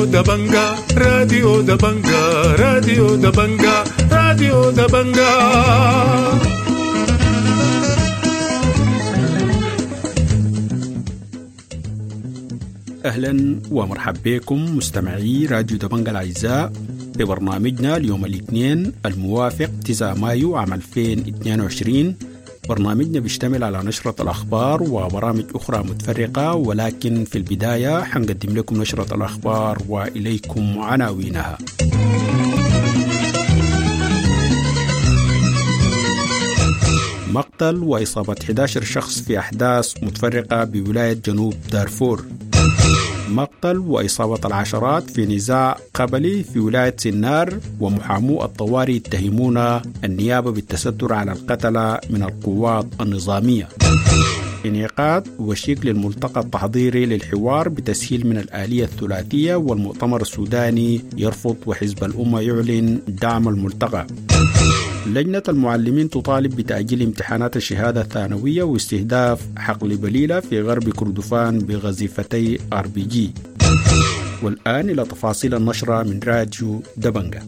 راديو دبنجا، راديو دبنجا، راديو دبنجا، راديو دبنجا. أهلا ومرحبا بكم مستمعي راديو دبنجا الأعزاء في برنامجنا اليوم الاثنين الموافق 9 مايو عام 2022. برنامجنا بيشتمل على نشرة الأخبار وبرامج أخرى متفرقة، ولكن في البداية حنقدم لكم نشرة الأخبار وإليكم عناوينها. مقتل وإصابة 11 شخص في أحداث متفرقة بولاية جنوب دارفور. مقتل وإصابة العشرات في نزاع قبلي في ولاية سنار، ومحامو الطوارئ يتهمون النيابة بالتستر على القتلة من القوات النظامية. انعقاد وشيك للملتقى التحضيري للحوار بتسهيل من الآلية الثلاثية، والمؤتمر السوداني يرفض وحزب الأمة يعلن دعم الملتقى. لجنة المعلمين تطالب بتأجيل امتحانات الشهادة الثانوية واستهداف حقل بليلة في غرب كردفان بغزيفتي RPG. والآن إلى تفاصيل النشرة من راديو دبنجة.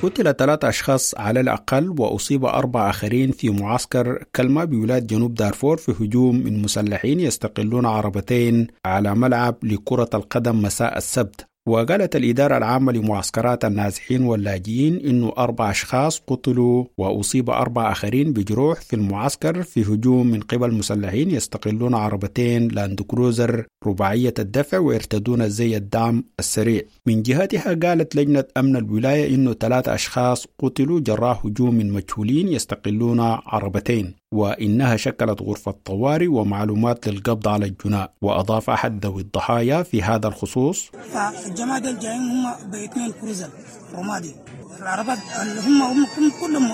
قتل 3 أشخاص على الأقل وأصيب 4 آخرين في معسكر كلمة بولاية جنوب دارفور في هجوم من مسلحين يستقلون عربتين على ملعب لكرة القدم مساء السبت. وقالت الإدارة العامة لمعسكرات النازحين واللاجئين إنه 4 أشخاص قتلوا وأصيب 4 آخرين بجروح في المعسكر في هجوم من قبل مسلحين يستقلون عربتين لاندكروزر رباعية الدفع ويرتدون زي الدعم السريع. من جهتها قالت لجنة أمن الولاية إنه 3 أشخاص قتلوا جراء هجوم من مجهولين يستقلون عربتين، وإنها شكلت غرفة طوارئ ومعلومات للقبض على الجناء. وأضاف أحد ذوي الضحايا في هذا الخصوص: فالجماعة دول جايين هم باثنين كروزر رمادي، العربات اللي هم كلهم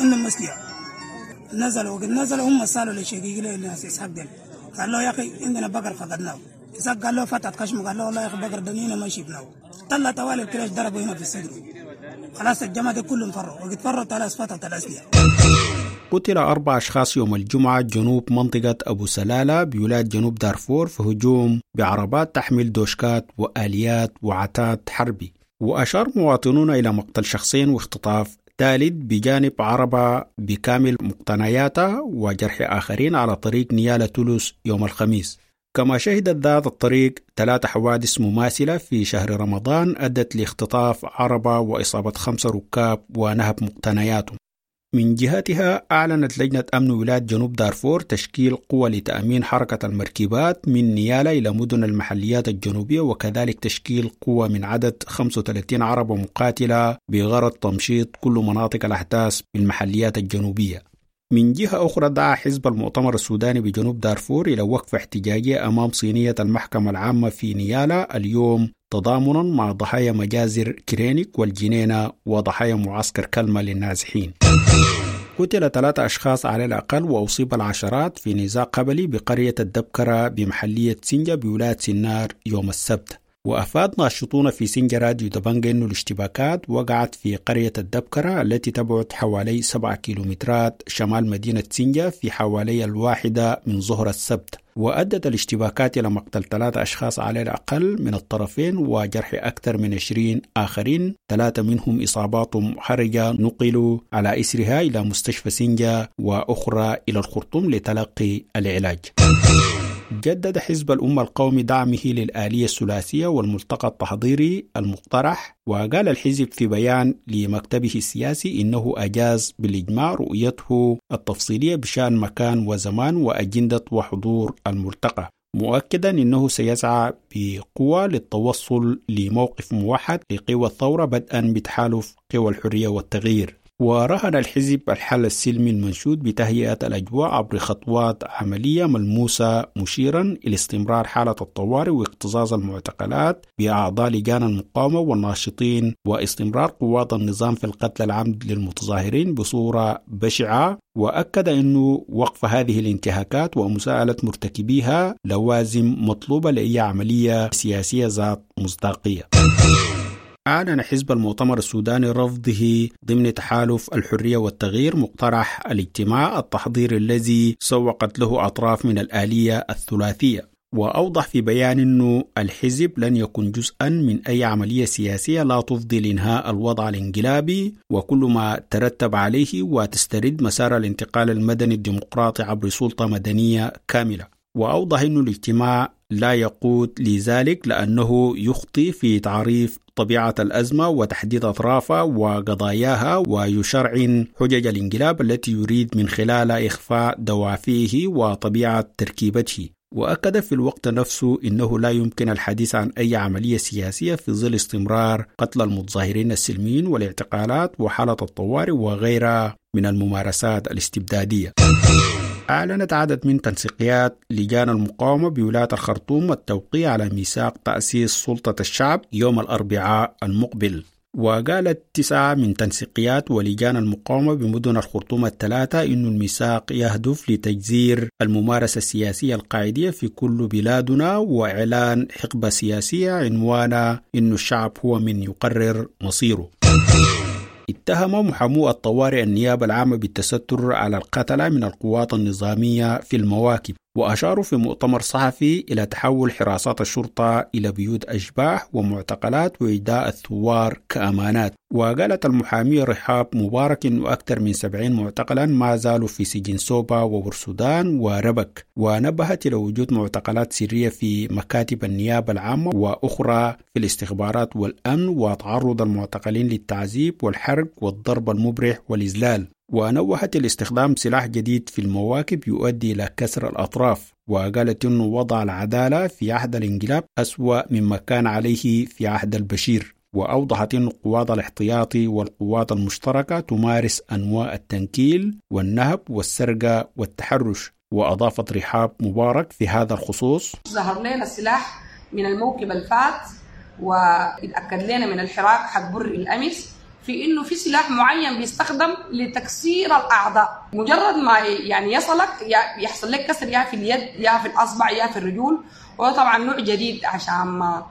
عندهم مسلية، نزلوا وقد نزلوا هم سالوا لشقيق للناس إسحاق دل، قال له يا أخي عندنا بقر فقدناه. إسحاق قال له فتحت خشمه، قال له والله يا أخي بقر دنينا ما شفناه. طلع طوال الكلاش ضربوا هنا في الصدر، خلاص الجماعة كلهم فروا، وقد فروا خلاص فتحت الأسلحة. قتل 4 أشخاص يوم الجمعة جنوب منطقة أبو سلالة بولاية جنوب دارفور في هجوم بعربات تحمل دوشكات وآليات وعتاد حربي. وأشار مواطنون إلى مقتل شخصين واختطاف ثالث بجانب عربة بكامل مقتنياتها وجرح آخرين على طريق نيالة تولوس يوم الخميس. كما شهدت ذات الطريق 3 حوادث مماثلة في شهر رمضان أدت لاختطاف عربة وإصابة 5 ركاب ونهب مقتنياتهم. من جهتها أعلنت لجنة أمن ولاية جنوب دارفور تشكيل قوى لتأمين حركة المركبات من نيالة إلى مدن المحليات الجنوبية، وكذلك تشكيل قوى من عدد 35 عربة مقاتلة بغرض تمشيط كل مناطق الأحداث بالمحليات الجنوبية. من جهة أخرى دعا حزب المؤتمر السوداني بجنوب دارفور إلى وقفة احتجاجية أمام صينية المحكمة العامة في نيالة اليوم تضامنا مع ضحايا مجازر كرينيك والجنينة وضحايا معسكر كلمة للنازحين. قتل 3 أشخاص على الأقل وأصيب العشرات في نزاع قبلي بقرية الدبكرة بمحلية سنجة بولاية سنار يوم السبت. وأفاد ناشطون في سنجة راديو دبنجة أن الاشتباكات وقعت في قرية الدبكرة التي تبعد حوالي 7 كيلومترات شمال مدينة سنجة في حوالي 1 من ظهر السبت. وأدت الاشتباكات إلى مقتل 3 أشخاص على الأقل من الطرفين وجرح أكثر من 20 آخرين، 3 منهم إصاباتهم حرجة نقلوا على إثرها إلى مستشفى سنجة وأخرى إلى الخرطوم لتلقي العلاج. جدد حزب الأمة القومي دعمه للآلية الثلاثية والملتقى التحضيري المقترح، وقال الحزب في بيان لمكتبه السياسي إنه أجاز بالإجماع رؤيته التفصيلية بشأن مكان وزمان وأجندة وحضور الملتقى، مؤكدا أنه سيسعى بقوة للتوصل لموقف موحد لقوى الثورة بدءا بتحالف قوى الحرية والتغيير. ورهن الحزب الحل السلمي المنشود بتهيئة الأجواء عبر خطوات عملية ملموسة، مشيرا إلى استمرار حالة الطوارئ واكتظاظ المعتقلات بأعضاء لجان المقاومة والناشطين واستمرار قوات النظام في القتل العمد للمتظاهرين بصورة بشعة. وأكد أنه وقف هذه الانتهاكات ومساءلة مرتكبيها لوازم مطلوبة لأي عملية سياسية ذات مصداقية. أعلن حزب المؤتمر السوداني رفضه ضمن تحالف الحرية والتغيير مقترح الاجتماع التحضيري الذي سوقت له أطراف من الآلية الثلاثية. وأوضح في بيان أنه الحزب لن يكون جزءا من أي عملية سياسية لا تفضي لإنهاء الوضع الانقلابي وكل ما ترتب عليه، وتسترد مسار الانتقال المدني الديمقراطي عبر سلطة مدنية كاملة. وأوضح أن الاجتماع لا يقود لذلك لأنه يخطي في تعريف طبيعة الأزمة وتحديد أطرافها وقضاياها، ويشرعن حجج الانقلاب التي يريد من خلالها إخفاء دوافعه وطبيعة تركيبته. وأكد في الوقت نفسه أنه لا يمكن الحديث عن أي عملية سياسية في ظل استمرار قتل المتظاهرين السلميين والاعتقالات وحالة الطوارئ وغيرها من الممارسات الاستبدادية. أعلنت عدد من تنسيقيات لجان المقاومة بولاية الخرطوم التوقيع على ميثاق تأسيس سلطة الشعب يوم الأربعاء المقبل. وقالت 9 من تنسيقيات ولجان المقاومة بمدن الخرطوم الثلاثة إن الميثاق يهدف لتجذير الممارسة السياسية القاعدية في كل بلادنا وإعلان حقبة سياسية عنوانها إن الشعب هو من يقرر مصيره. اتهم محامو الطوارئ النيابة العامة بالتستر على القتلة من القوات النظامية في المواكب، وأشاروا في مؤتمر صحفي إلى تحول حراسات الشرطة إلى بيوت أشباح ومعتقلات وإيداء الثوار كأمانات. وقالت المحامية رحاب مبارك أنه أكثر من 70 معتقلا ما زالوا في سجن سوبا وبورسودان وربك، ونبهت إلى وجود معتقلات سرية في مكاتب النيابة العامة وأخرى في الاستخبارات والأمن، وتعرض المعتقلين للتعذيب والحرق والضرب المبرح والإذلال. ونوهت لاستخدام سلاح جديد في المواكب يؤدي إلى كسر الأطراف، وقالت أنه وضع العدالة في عهد الانقلاب أسوأ مما كان عليه في عهد البشير. وأوضحت أن القوات الاحتياطي والقوات المشتركة تمارس أنواع التنكيل والنهب والسرقة والتحرش. وأضافت رحاب مبارك في هذا الخصوص: ظهر لنا السلاح من الموكب الفات، واتأكد لنا من الحراك حق بر الأمس في انه في سلاح معين بيستخدم لتكسير الاعضاء. مجرد ما يعني يصلك يحصل لك كسر يا في اليد يا في الاصبع يا في الرجول، وهو طبعا نوع جديد عشان ما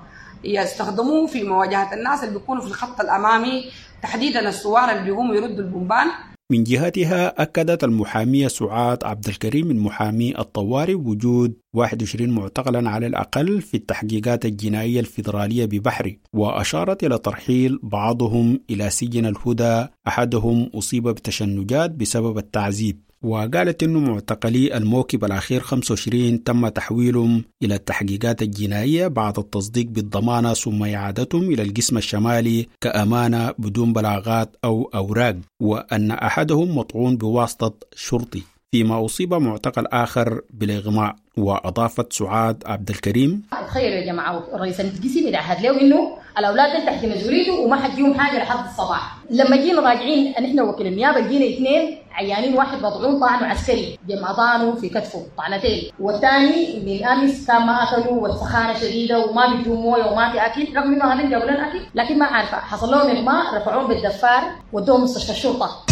يستخدموه في مواجهه الناس اللي بيكونوا في الخط الامامي، تحديدا الثوار اللي بيقوموا يردوا البومبان. من جهتها أكدت المحامية سعاد عبد الكريم من محامي الطوارئ وجود 21 معتقلا على الأقل في التحقيقات الجنائية الفيدرالية ببحري، وأشارت إلى ترحيل بعضهم إلى سجن الهدى، أحدهم أصيب بتشنجات بسبب التعذيب. وقالت أنه معتقلي الموكب الأخير 25 تم تحويلهم إلى التحقيقات الجنائية بعد التصديق بالضمانة ثم إعادتهم إلى القسم الشمالي كأمانة بدون بلاغات أو أوراق، وأن أحدهم مطعون بواسطة شرطي، فيما أصيب معتقل آخر بالإغماء. وأضافت سعاد عبد الكريم: تخيلوا يا جماعة، الرئيس القسم يتعهد له إنه الأولاد دول تحت مسؤوليته وما حتجيهم حاجة لحد الصباح. لما جينا راجعين نحن وكيل النيابة جينا 2 عيانين، واحد مطعون طعنه عسكري جمع طعنه في كتفه طعنتين، والثاني من أمس كان ما أكلوا والسخانة شديدة وما بيدوا موية وما في أكل، رغم إنه هذين جابوا لنا أكل لكن ما عارفة حصل لهم إغماء، رفعوهم بالدفار ودوهم مستشفى الشرطة.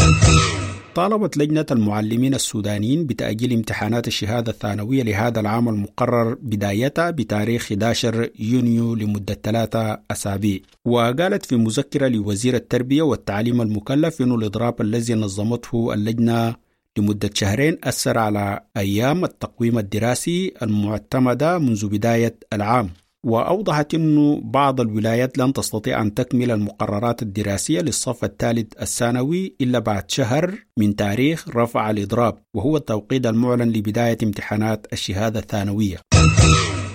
طالبت لجنة المعلمين السودانيين بتأجيل امتحانات الشهادة الثانوية لهذا العام المقرر بدايتها بتاريخ 11 يونيو لمدة 3 أسابيع. وقالت في مذكرة لوزير التربية والتعليم المكلف أن الإضراب الذي نظمته اللجنة لمدة شهرين أثر على أيام التقويم الدراسي المعتمدة منذ بداية العام. وأوضحت أن بعض الولايات لن تستطيع أن تكمل المقررات الدراسية للصف الثالث الثانوي إلا بعد شهر من تاريخ رفع الإضراب، وهو التوقيت المعلن لبداية امتحانات الشهادة الثانوية.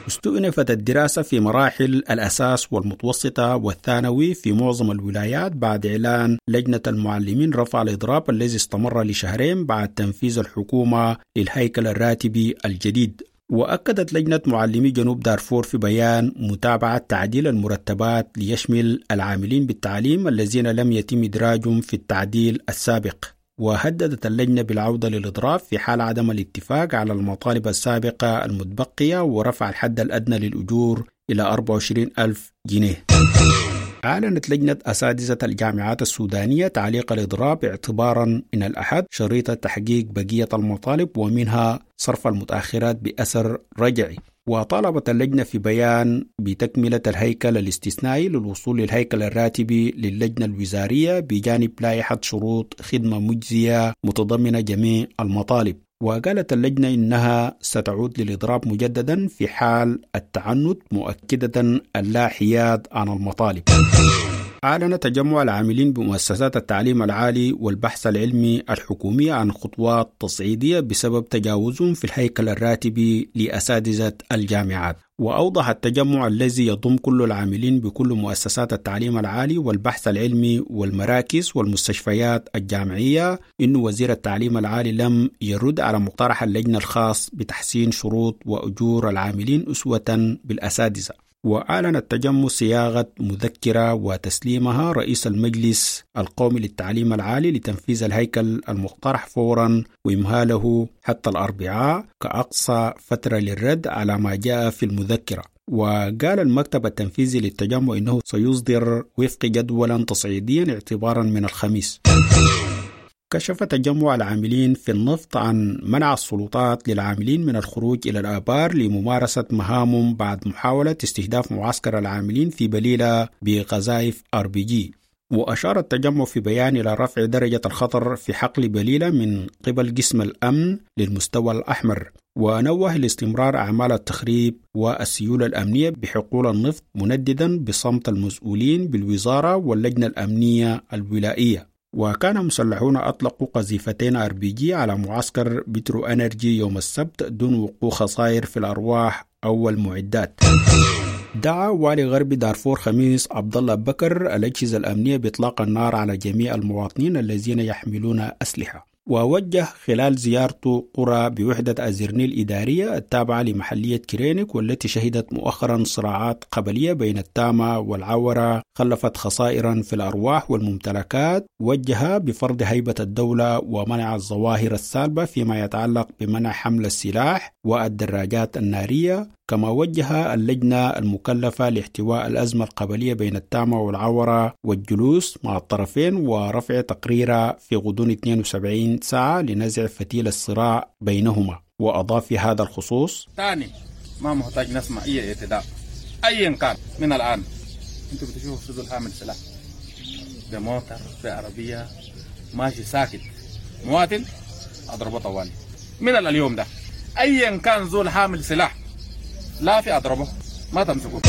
استؤنفت الدراسة في مراحل الأساس والمتوسطة والثانوي في معظم الولايات بعد إعلان لجنة المعلمين رفع الإضراب الذي استمر لشهرين بعد تنفيذ الحكومة للهيكل الراتبي الجديد. وأكدت لجنة معلمي جنوب دارفور في بيان متابعة تعديل المرتبات ليشمل العاملين بالتعليم الذين لم يتم إدراجهم في التعديل السابق. وهددت اللجنة بالعودة للإضراب في حال عدم الاتفاق على المطالب السابقة المتبقية ورفع الحد الأدنى للأجور إلى 24,000 جنيه. أعلنت لجنة أساتذة الجامعات السودانية تعليق الإضراب اعتبارا من الأحد شريطة تحقيق بقية المطالب ومنها صرف المتأخرات بأثر رجعي. وطالبت اللجنة في بيان بتكملة الهيكل الاستثنائي للوصول للهيكل الراتبي للجنة الوزارية بجانب لائحة شروط خدمة مجزية متضمنة جميع المطالب. وقالت اللجنة إنها ستعود للإضراب مجددا في حال التعنت، مؤكدة اللا حياد عن المطالب. أعلن تجمع العاملين بمؤسسات التعليم العالي والبحث العلمي الحكومية عن خطوات تصعيدية بسبب تجاوزهم في الهيكل الراتبي لأساتذة الجامعات. وأوضح التجمع الذي يضم كل العاملين بكل مؤسسات التعليم العالي والبحث العلمي والمراكز والمستشفيات الجامعية إن وزير التعليم العالي لم يرد على مقترح اللجنة الخاص بتحسين شروط وأجور العاملين أسوة بالأساتذة. وأعلن التجمع صياغة مذكرة وتسليمها رئيس المجلس القومي للتعليم العالي لتنفيذ الهيكل المقترح فورا وإمهاله حتى الأربعاء كأقصى فترة للرد على ما جاء في المذكرة. وقال المكتب التنفيذي للتجمع إنه سيصدر وفق جدولا تصعيديا اعتبارا من الخميس. كشف تجمع العاملين في النفط عن منع السلطات للعاملين من الخروج إلى الآبار لممارسة مهامهم بعد محاولة استهداف معسكر العاملين في بليلة بقذائف RPG. وأشار التجمع في بيان إلى رفع درجة الخطر في حقل بليلة من قبل قسم الأمن للمستوى الأحمر، ونوه لاستمرار أعمال التخريب والسيولة الأمنية بحقول النفط، منددا بصمت المسؤولين بالوزارة واللجنة الأمنية الولائية. وكان مسلحون أطلقوا قذيفتين RPG على معسكر بترو أنرجي يوم السبت دون وقوع خسائر في الأرواح أو المعدات. دعا والي غرب دارفور خميس عبد الله بكر الأجهزة الأمنية بإطلاق النار على جميع المواطنين الذين يحملون أسلحة. ووجه خلال زيارته قرى بوحدة أزرني الإدارية التابعة لمحلية كرينك، والتي شهدت مؤخرا صراعات قبلية بين التامة والعورة خلفت خسائرا في الأرواح والممتلكات، وجه بفرض هيبة الدولة ومنع الظواهر السالبة فيما يتعلق بمنع حمل السلاح والدراجات النارية. كما وجه اللجنة المكلفة لاحتواء الأزمة القبلية بين التامة والعورة والجلوس مع الطرفين ورفع تقريرها في غضون 72 ساعة لنزع فتيل الصراع بينهما. وأضاف في هذا الخصوص: ثاني ما محتاج نسمع أي اعتداء أيا كان من الآن. أنتوا بتشوفوا في ذو حامل سلاح بموتر بعربية ماشي ساكت مواطن أضربه طوالي من اليوم ده. أيا كان ذو حامل سلاح لا في أضربه ما تمسكوه.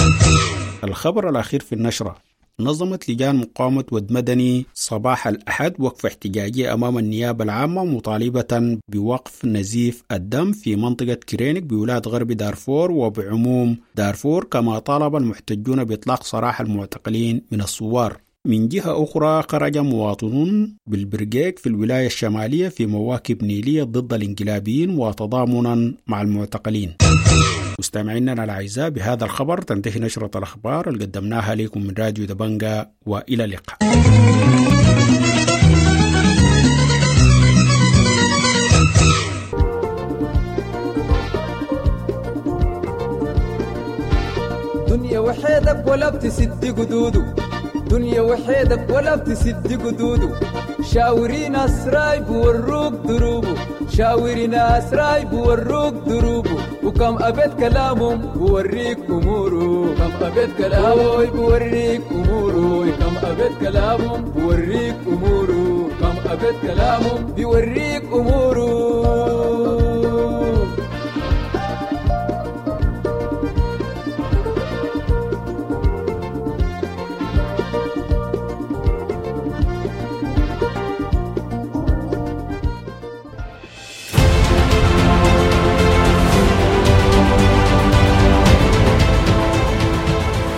الخبر الأخير في النشرة: نظمت لجان مقاومة ود مدني صباح الأحد وقفة احتجاجية أمام النيابة العامة مطالبة بوقف نزيف الدم في منطقة كرينك بولاية غرب دارفور وبعموم دارفور، كما طالب المحتجون بإطلاق سراح المعتقلين من الثوار. من جهة أخرى خرج مواطنون بالبرجيك في الولاية الشمالية في مواكب نيلية ضد الانقلابيين وتضامنا مع المعتقلين. مستمعينا الأعزاء، بهذا الخبر تنتهي نشرة الأخبار اللي قدمناها لكم من راديو دبنجا، وإلى اللقاء. دنيا وحيدك ولا بتسد قدوده، دنيا وحيدك ولا بتسد قدوده، شاوري ناس رايب وروك دروبه، شاوري ناس رايب وروك دروبه، وكم أبيت كلامهم بوريك أموره، كم أبيت كلامه بوريك أموره، كم أبيت كلامهم بوريك أموره، كم أبيت كلامهم بيوريك أموره.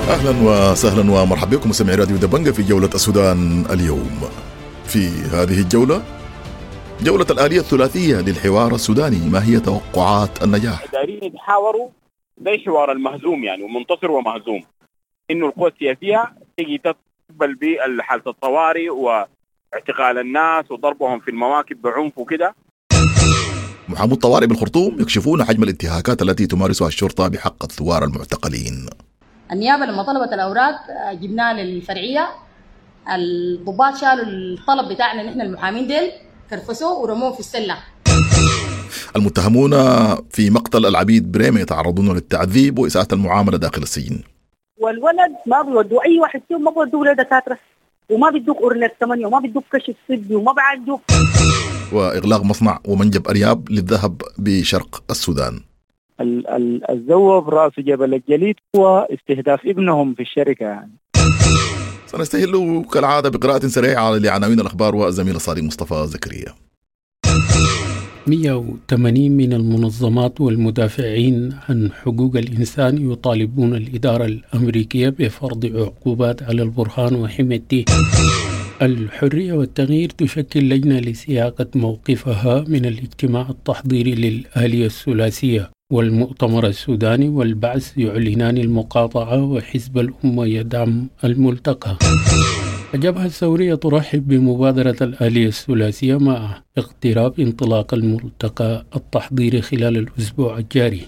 اهلا وسهلا ومرحبا بكم مستمعي راديو دبنجة في جولة السودان اليوم. في هذه الجولة، جولة الآلية الثلاثية للحوار السوداني، ما هي توقعات النجاح؟ دايرين يتحاوروا زي حوار المهزوم يعني، ومنتصر ومهزوم، انه القوى السياسية تيجي تقبل بحالة الطوارئ واعتقال الناس وضربهم في المواكب بعنف وكده. محامو الطوارئ بالخرطوم يكشفون حجم الانتهاكات التي تمارسها الشرطة بحق الثوار المعتقلين. النيابة لما طلبت الأوراق جبناها للفرعية، الضباط شالوا الطلب بتاعنا نحن المحامين ديل كرفسوه ورموه في السلة. المتهمون في مقتل العبيد بريمة يتعرضون للتعذيب وإساءة المعاملة داخل السجن. والولد ما بيودوا أي واحد فيهم، ما بيودوه لدكاترة، وما بيدوك أورنيك 8، وما بيدوك كشف طبي، وما بعالجوك. وإغلاق مصنع ومنجم أرياب للذهب بشرق السودان. الذوب رأس جبل الجليد هو استهداف ابنهم في الشركة يعني. سنستهل كالعادة بقراءة سريعة لعناوين الأخبار والزميل الصادق مصطفى زكريا. 180 من المنظمات والمدافعين عن حقوق الإنسان يطالبون الإدارة الأمريكية بفرض عقوبات على البرهان وحميدتي. الحرية والتغيير تشكل لجنة لسياقة موقفها من الاجتماع التحضيري للآلية الثلاثية، والمؤتمر السوداني والبعث يعلنان المقاطعة، وحزب الأمة يدعم الملتقى. الجبهة الثورية ترحب بمبادرة الآلية الثلاثية مع اقتراب انطلاق الملتقى التحضيري خلال الأسبوع الجاري.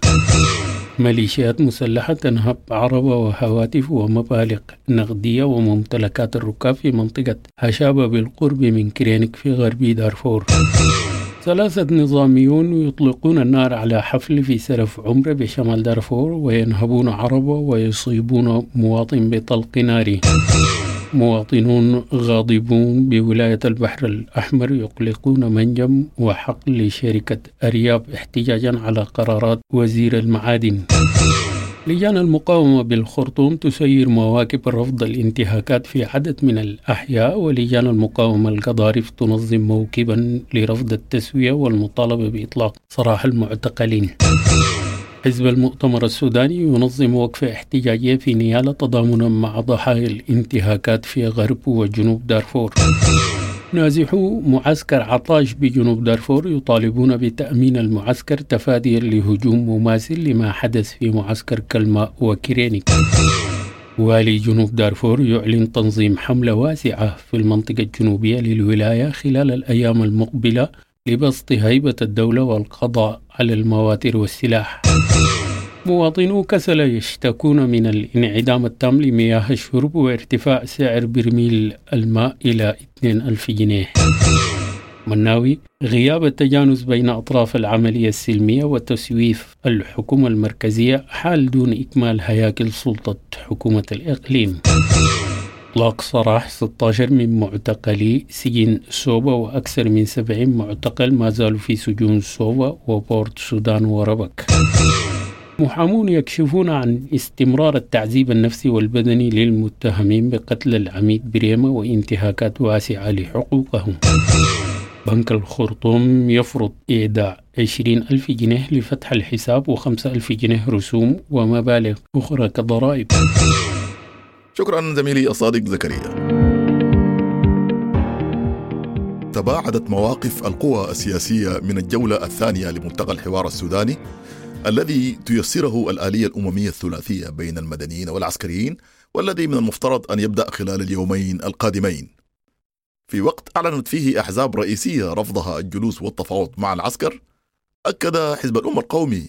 ميليشيات مسلحة تنهب عربة وهواتف ومبالغ نقدية وممتلكات الركاب في منطقة هشابة بالقرب من كرينك في غرب دارفور. 3 نظاميون يطلقون النار على حفل في سرف عمرة بشمال دارفور وينهبون عربة ويصيبون مواطن بطلق ناري. مواطنون غاضبون بولاية البحر الأحمر يقلقون منجم وحقل لشركة أرياب احتجاجا على قرارات وزير المعادن. لجان المقاومة بالخرطوم تسير مواكب رفض الانتهاكات في عدد من الأحياء، ولجان المقاومة القضارف تنظم موكبا لرفض التسوية والمطالبة بإطلاق سراح المعتقلين. حزب المؤتمر السوداني ينظم وقفة احتجاجية في نيالة تضامنا مع ضحايا الانتهاكات في غرب وجنوب دارفور. نازحو معسكر عطاش بجنوب دارفور يطالبون بتأمين المعسكر تفاديا لهجوم مماثل لما حدث في معسكر كلمة وكرينيك. والي جنوب دارفور يعلن تنظيم حملة واسعة في المنطقة الجنوبية للولاية خلال الأيام المقبلة لبسط هيبة الدولة والقضاء على المواتر والسلاح. مواطنو كسلا يشتكون من الانعدام التام لمياه الشرب وارتفاع سعر برميل الماء إلى 2000 جنيه. مناوي غياب التجانس بين أطراف العملية السلمية وتسويف الحكومة المركزية حال دون إكمال هياكل سلطة حكومة الإقليم. إطلاق سراح 16 من معتقلي سجن سوبا وأكثر من 70 معتقل ما زالوا في سجون سوبا وبورت سودان وربك. محامون يكشفون عن استمرار التعذيب النفسي والبدني للمتهمين بقتل العميد بريمة وانتهاكات واسعة لحقوقهم. بنك الخرطوم يفرض إيداع 20,000 جنيه لفتح الحساب و5,000 جنيه رسوم ومبالغ أخرى كضرائب. شكرا زميلي الصادق زكريا. تباعدت مواقف القوى السياسية من الجولة الثانية لملتقى الحوار السوداني الذي تيسره الآلية الأممية الثلاثية بين المدنيين والعسكريين، والذي من المفترض أن يبدأ خلال اليومين القادمين، في وقت أعلنت فيه أحزاب رئيسية رفضها الجلوس والتفاوض مع العسكر. أكد حزب الأمة القومي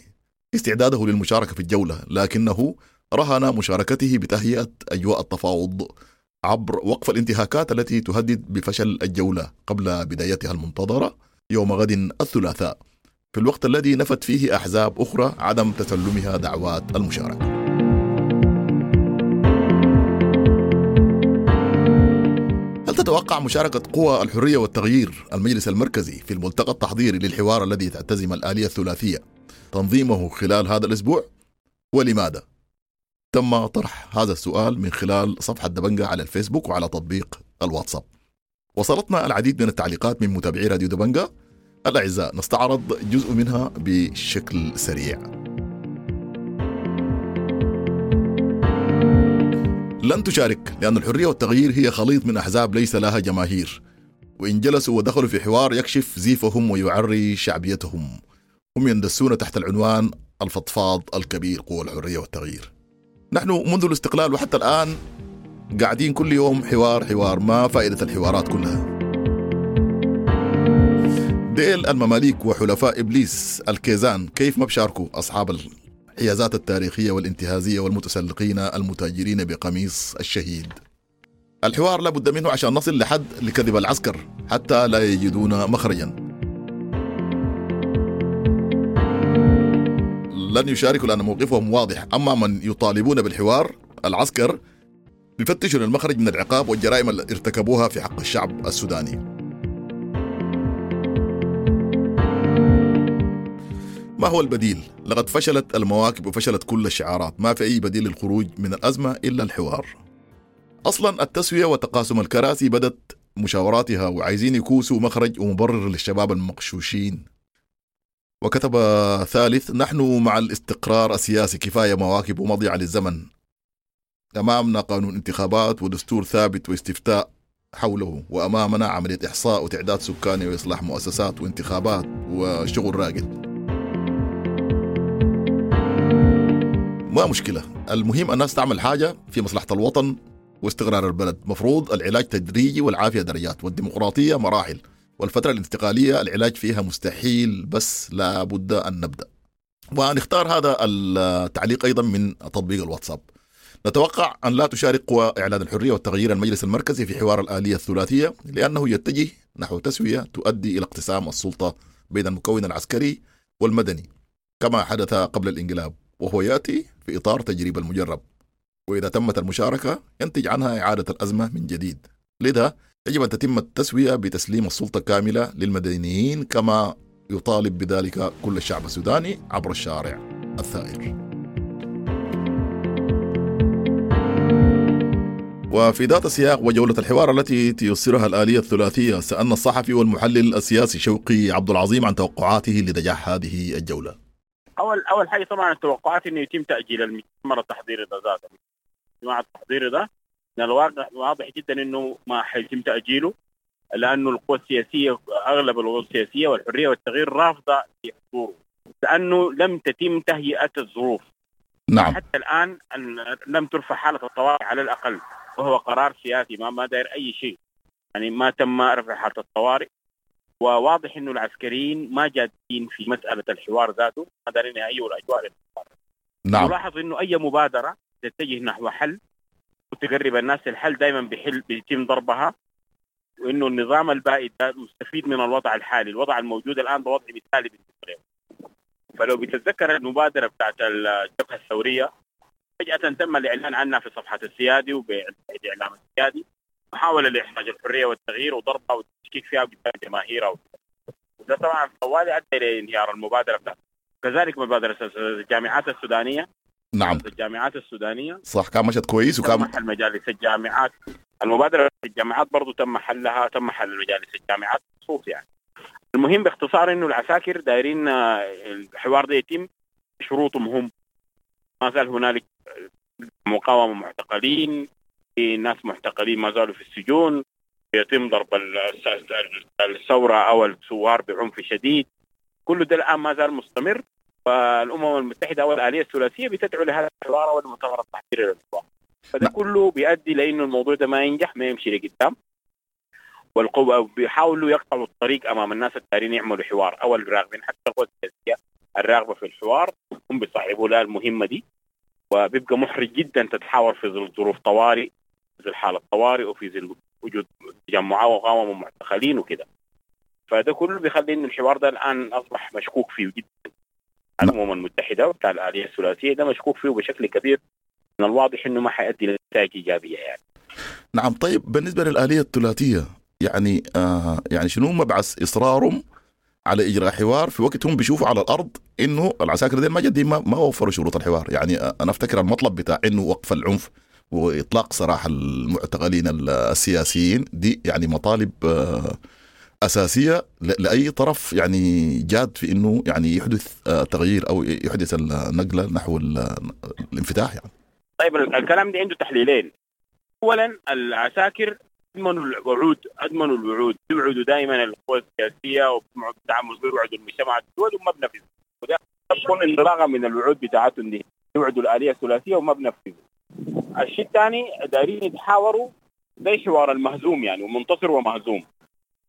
استعداده للمشاركة في الجولة، لكنه رهن مشاركته بتهيئة أجواء التفاوض عبر وقف الانتهاكات التي تهدد بفشل الجولة قبل بدايتها المنتظرة يوم غد الثلاثاء، في الوقت الذي نفت فيه أحزاب أخرى عدم تسلمها دعوات المشاركة. هل تتوقع مشاركة قوى الحرية والتغيير المجلس المركزي في الملتقى التحضيري للحوار الذي تعتزم الآلية الثلاثية تنظيمه خلال هذا الأسبوع؟ ولماذا؟ تم طرح هذا السؤال من خلال صفحة دبنجة على الفيسبوك وعلى تطبيق الواتساب. وصلتنا العديد من التعليقات من متابعي راديو دبنجة الأعزاء، نستعرض جزء منها بشكل سريع. لن تشارك لأن الحرية والتغيير هي خليط من أحزاب ليس لها جماهير، وإن جلسوا ودخلوا في حوار يكشف زيفهم ويعري شعبيتهم. هم يندسون تحت العنوان الفضفاض الكبير قوى الحرية والتغيير. نحن منذ الاستقلال وحتى الآن قاعدين كل يوم حوار حوار، ما فائدة الحوارات كلها؟ ديل المماليك وحلفاء إبليس الكيزان كيف ما بشاركوا أصحاب الحيازات التاريخية والانتهازية والمتسلقين المتاجرين بقميص الشهيد؟ الحوار لابد منه عشان نصل لحد لكذب العسكر حتى لا يجدون مخرجا. لن يشاركوا لأن موقفهم واضح. أما من يطالبون بالحوار العسكر بيفتشوا للمخرج من العقاب والجرائم اللي ارتكبوها في حق الشعب السوداني. ما هو البديل؟ لقد فشلت المواكب وفشلت كل الشعارات، ما في أي بديل للخروج من الأزمة إلا الحوار. أصلا التسوية وتقاسم الكراسي بدت مشاوراتها، وعايزين يكوسوا مخرج ومبرر للشباب المقشوشين. وكتب ثالث: نحن مع الاستقرار السياسي، كفاية مواكب ومضيعة للزمن، أمامنا قانون انتخابات ودستور ثابت واستفتاء حوله، وأمامنا عملية إحصاء وتعداد سكاني وإصلاح مؤسسات وانتخابات وشغل راقد. ما مشكلة، المهم الناس تعمل حاجة في مصلحة الوطن واستقرار البلد. مفروض العلاج تدريجي والعافية درجات، والديمقراطية مراحل، والفترة الانتقالية العلاج فيها مستحيل، بس لابد أن نبدأ. ونختار هذا التعليق أيضا من تطبيق الواتساب. نتوقع أن لا تشارك قوى إعلان الحرية والتغيير المجلس المركزي في حوار الآلية الثلاثية، لأنه يتجه نحو تسوية تؤدي إلى اقتسام السلطة بين المكون العسكري والمدني كما حدث قبل الانقلاب، وهو يأتي في إطار تجريب المجرب، وإذا تمت المشاركة ينتج عنها إعادة الأزمة من جديد. لذا يجب أن تتم التسوية بتسليم السلطة كاملة للمدنيين كما يطالب بذلك كل الشعب السوداني عبر الشارع الثائر. وفي ذات السياق وجولة الحوار التي تيسرها الآلية الثلاثية، سألنا الصحفي والمحلل السياسي شوقي عبد العظيم عن توقعاته لنجاح هذه الجولة. أول حاجة طبعا التوقعات إنه يتم تأجيل المؤتمر التحضيري ده ذاته. الاجتماع التحضيري ده من الواضح واضح جدا إنه ما حيتم تأجيله، لأنه القوى السياسية، أغلب القوى السياسية والحرية والتغيير رافضة لحضوره، لأنه لم تتم تهيئة الظروف. نعم. حتى الآن لم ترفع حالة الطوارئ على الأقل، وهو قرار سياسي ما داير أي شيء، يعني ما تم رفع حالة الطوارئ. وواضح إنه العسكريين ما جادين في مسألة الحوار ذاته، ما دارين يهيئوا الأجواء للحوار. نعم. نلاحظ إنه أي مبادرة تتجه نحو حل وتقرب الناس الحل دائما بيتم ضربها، وإنه النظام البائد مستفيد من الوضع الحالي، الوضع الموجود الآن ده وضع مثالي بالنسبة له. فلو بتتذكر المبادرة بتاعت الجبهة الثورية، فجأة تم الإعلان عنها في صفحة السيادي وبإعلام السيادي، محاولة لإحراج الحرية والتغيير وضربها والتشكيك فيها قدام جماهيرها، وده طبعا طوالي أدى إلى انهيار المبادرة بتاعتها. كذلك مبادرة الجامعات السودانية. نعم. الجامعات السودانية صح، كان مشت كويس، وكان حل مجالس الجامعات. المبادرة الجامعات برضو تم حلها، تم حل مجالس الجامعات خصوص يعني. المهم باختصار إنه العساكر دايرين الحوار ده يتم شروطهم هم، ما زال هنالك مقاومة معتقلين، في ناس معتقلين ما زالوا في السجون، يتم ضرب الثورة أو الثوار بعنف شديد، كل ده الآن ما زال مستمر. فالأمم المتحدة أو الآلية الثلاثية بتدعو لهذا الحوار والمؤتمر التحضيري للحوار، فده كله بيؤدي لأنه الموضوع ده ما ينجح، ما يمشي لقدام، والقوة بيحاولوا يقطعوا الطريق أمام الناس الدارين يعملوا حوار أو الراغبين، حتى القوى السياسية الراغبة في الحوار هم بيصعبوا لها المهمة دي، وبيبقى محرج جدا تتحاور في ظل ظروف طوارئ، في ظل حالة طوارئ، وفي ظل وجود تجمعات ومقاومة ومعتقلين وكده. فده كله بيخلي إن الحوار ده الآن أصبح مشكوك فيه جدا. الأمم المتحدة وبتاع الآلية الثلاثية ده مشكوك فيه بشكل كبير، من الواضح إنه ما حيؤدي لنتائج إيجابية يعني. نعم. طيب بالنسبة للآلية الثلاثية، يعني يعني شنو مبعث إصرارهم على إجراء حوار في وقت هم بيشوفوا على الأرض إنه العساكر دي ما جدي ما وفروا شروط الحوار؟ يعني أنا أفتكر المطلب بتاع إنه وقف العنف وإطلاق سراح المعتقلين السياسيين دي يعني مطالب أساسية لأي طرف يعني جاد في إنه يعني يحدث تغيير أو يحدث النقلة نحو الانفتاح يعني. طيب الكلام ده عنده تحليلين. أولا العساكر أدمنوا الوعود، يوعدوا دائما القوى السياسية ويوعدوا المجتمع الدولي وما بنفذوا، وده تكون انطلاقا من الوعود بتاعتهم دي، يوعدوا الآلية الثلاثية وما بنفذوا. الشيء الثاني دارين يتحاوروا زي حوار المهزوم يعني، ومنتصر ومهزوم،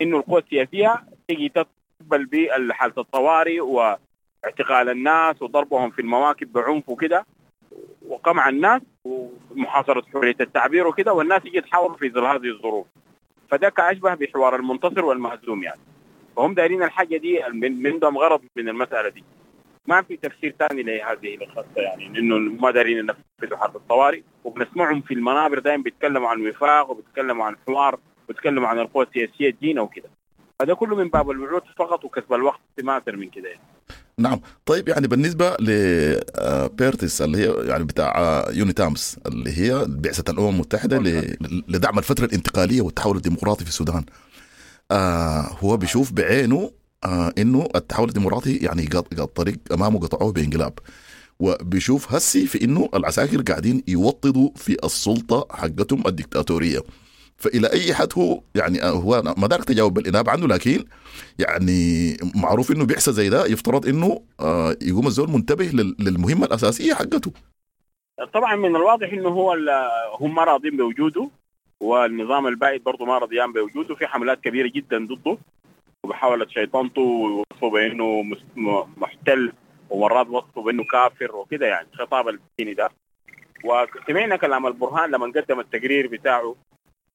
إنه القوى السياسية تيجي تقبل بحالة الطوارئ واعتقال الناس وضربهم في المواكب بعنف وكده وقمع الناس ومحاصرة حرية التعبير وكده، والناس يجي يتحاوروا في ظل هذه الظروف. فده كأشبه بحوار المنتصر والمهزوم يعني. فهم دايرين الحاجة دي، من عندهم غرض من المسألة دي. ما في تفسير ثاني لهذه الخطة، يعني انه ما دارين ينفذوا حرب الطوارئ. وبنسمعهم في المنابر دائما بيتكلموا عن وفاق وبيتكلموا عن حوار وبيتكلموا عن القوى السياسية الدينة وكده. هذا كله من باب الوعود فقط وكسب الوقت، ما اكثر من كده يعني. نعم. طيب يعني بالنسبة لبيرتس اللي هي يعني بتاع يونيتامس اللي هي بعثه الامم المتحدة لدعم الفترة الانتقالية والتحول الديمقراطي في السودان، هو بيشوف بعينه انه التحول الديمقراطي يعني الطريق امامه قطعوه بانقلاب، وبيشوف هسي في انه العساكر قاعدين يوطدوا في السلطة حقتهم الدكتاتورية. فالى اي حد هو يعني هو ما دارك تجاوب بالانابه عنه، لكن يعني معروف انه بعثه زي ده يفترض انه يقوم الزول منتبه للمهمه الاساسية حقته. طبعا من الواضح انه هو هم ما راضين بوجوده، والنظام البائد برضه ما راضيان بوجوده، في حملات كبيرة جدا ضده ومحاولة شيطنته ووصفه بانه محتل، ومرات وصفه بانه كافر وكده، يعني خطاب الديني ده. وسمعنا كلام البرهان لما قدم التقرير بتاعه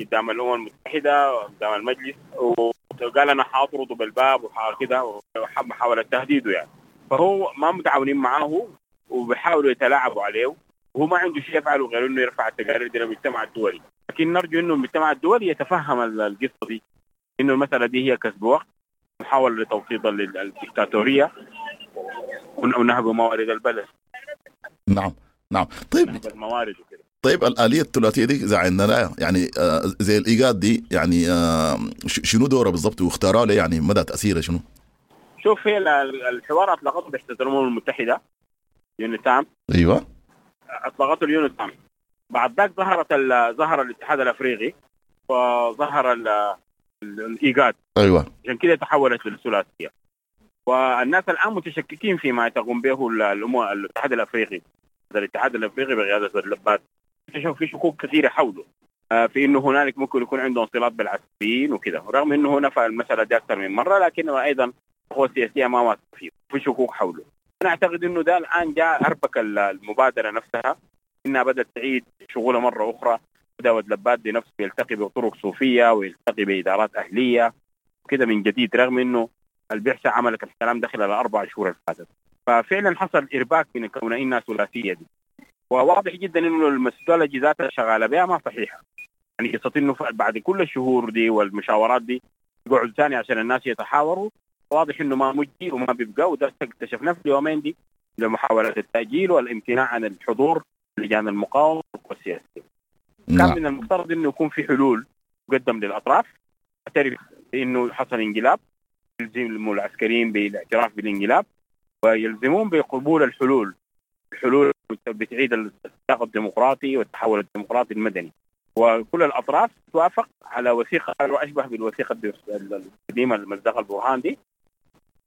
قدام الامم المتحدة قدام المجلس، وقال انا حاطرده بالباب وكده، ومحاولة تهديده يعني. فهو ما متعاونين معاه وبيحاولوا يتلاعبوا عليه، وهو ما عنده شيء يفعله غير انه يرفع التقارير دي للمجتمع الدولي. لكن نرجو انه المجتمع الدولي يتفهم القصة دي، انه المسالة دي هي كسب وقت، محاولة لتوطيد الدكتاتورية ونهب موارد البلد. نعم نعم. طيب الموارد وكده. طيب الآلية الثلاثية دي إذا عندنا يعني زي الإيجاد دي يعني شنو دوره بالضبط واختارها له، يعني مدى تأثيره شنو؟ شوف، هي الحوار أطلقته بعثة الأمم المتحدة يونيتام. أيوة أطلقته اليونيتام. بعد ذاك ظهر الاتحاد الأفريقي وظهر الإيجاد. أيوة عشان كده تحولت للثلاثية. والناس الآن متشككين فيما تقوم به الاتحاد الأفريقي. الاتحاد الأفريقي بقيادة اللبات في شكوك كثيرة حوله، في انه هنالك ممكن يكون عندهم صلات بالعسكريين وكده، رغم انه نفى المسالة دي اكثر من مرة، لكنه ايضا القوى السياسية ما واثقة فيه، في شكوك حوله. انا اعتقد انه ده الان جاء اربك المبادرة نفسها، انها بدات تعيد شغلها مرة اخرى. بدا لباد بنفسه يلتقي بطرق صوفية ويلتقي بادارات اهليه وكده من جديد، رغم انه البعثة عملت الكلام ده خلال 4 شهور اللي فاتت. ففعلا حصل ارباك من كون انها ثلاثية دي، وواضح جدا انه ال methodology ذاتها شغالة بها ما صحيحه. يعني قصة انه بعد كل الشهور دي والمشاورات دي يقعدوا ثاني عشان الناس يتحاوروا، واضح انه ما مجدي وما بيبقى. وده اكتشفناه في اليومين دي لمحاولة التاجيل والامتناع عن الحضور لجان المقاومة والسياسية. كان من المفترض انه يكون في حلول تقدم للاطراف، تعترف بانه حصل انقلاب، يلزم العسكريين بالاعتراف بالانقلاب ويلزمون بقبول الحلول بتعيد السياق الديمقراطي والتحول الديمقراطي المدني، وكل الأطراف توافق على وثيقة أشبه بالوثيقة القديمة المزدقة البرهان دي،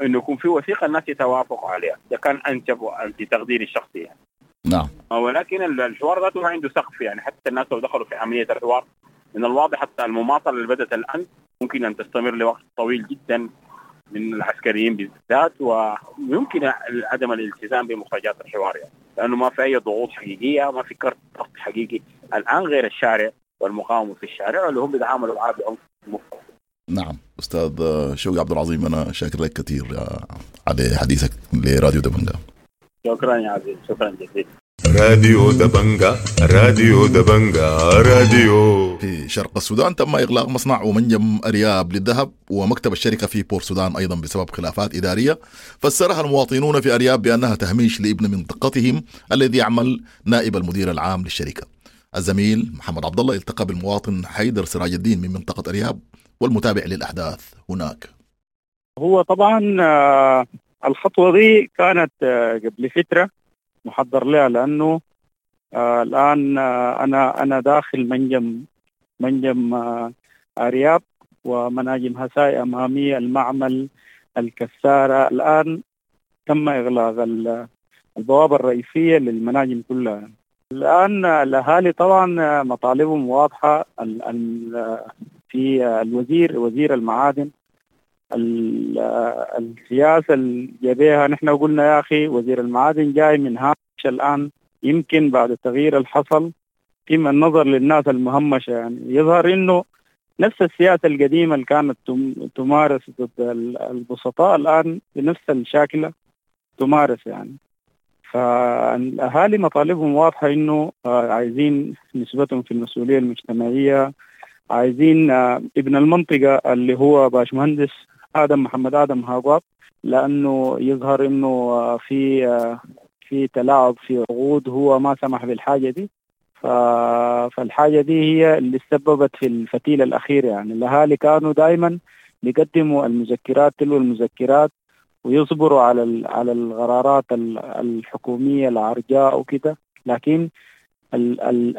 إنه يكون في وثيقة الناس يتوافقوا عليها. ده كان أنسب في تقديري الشخصي يعني. نعم. ولكن الحوار ذاته عنده سقف، يعني حتى الناس لو دخلوا في عملية الحوار من الواضح حتى المماطلة اللي بدأت الآن ممكن أن تستمر لوقت طويل جدا من العسكريين بالذات، ويمكن عدم الالتزام بمخرجات الحوار يعني، لأنه ما في أي ضغوط حقيقية، ما في كرت ضغط حقيقي الآن غير الشارع والمقاومة في الشارع اللي هم بيتعاملوا معاه بعنف مفرط. نعم. أستاذ شوقي عبد العظيم، أنا شاكر لك كثير على حديثك لراديو دبنجا. شكرا يا عزيز، شكرا جزيلا. راديو دبنجا، راديو دبنجا، راديو. في شرق السودان تم إغلاق مصنع ومنجم أرياب للذهب ومكتب الشركة في بور سودان أيضا بسبب خلافات إدارية فسرها المواطنون في أرياب بأنها تهميش لابن منطقتهم الذي يعمل نائب المدير العام للشركة. الزميل محمد عبد الله التقى بالمواطن حيدر سراج الدين من منطقة أرياب والمتابع للأحداث هناك. هو طبعا الخطوة دي كانت قبل فترة محضر لها، لأنه الآن أنا داخل منجم أرياب ومناجم هساي أمامي، المعمل، الكسارة. الآن تم إغلاق البوابة الرئيسية للمناجم كلها. الآن الأهالي طبعا مطالبهم واضحة. في الوزير، وزير المعادن، السياسة اللي جابيها، نحن قلنا يا أخي وزير المعادن جاي من هامش الآن، يمكن بعد التغيير اللي حصل في النظر للناس المهمشة، يعني يظهر إنه نفس السياسة القديمة اللي كانت تمارس ضد البسطاء الآن بنفس الشاكلة تمارس يعني. فالأهالي مطالبهم واضحة إنه عايزين نسبتهم في المسؤولية المجتمعية، عايزين ابن المنطقة اللي هو باشمهندس آدم محمد آدم هاقواب، لأنه يظهر إنه في تلاعب في عقود، هو ما سمح بالحاجة دي. فالحاجة دي هي اللي سببت في الفتيل الأخير يعني. الأهالي كانوا دائما بيقدموا المذكرات تلو المذكرات ويصبروا على القرارات الحكومية العرجاء وكده، لكن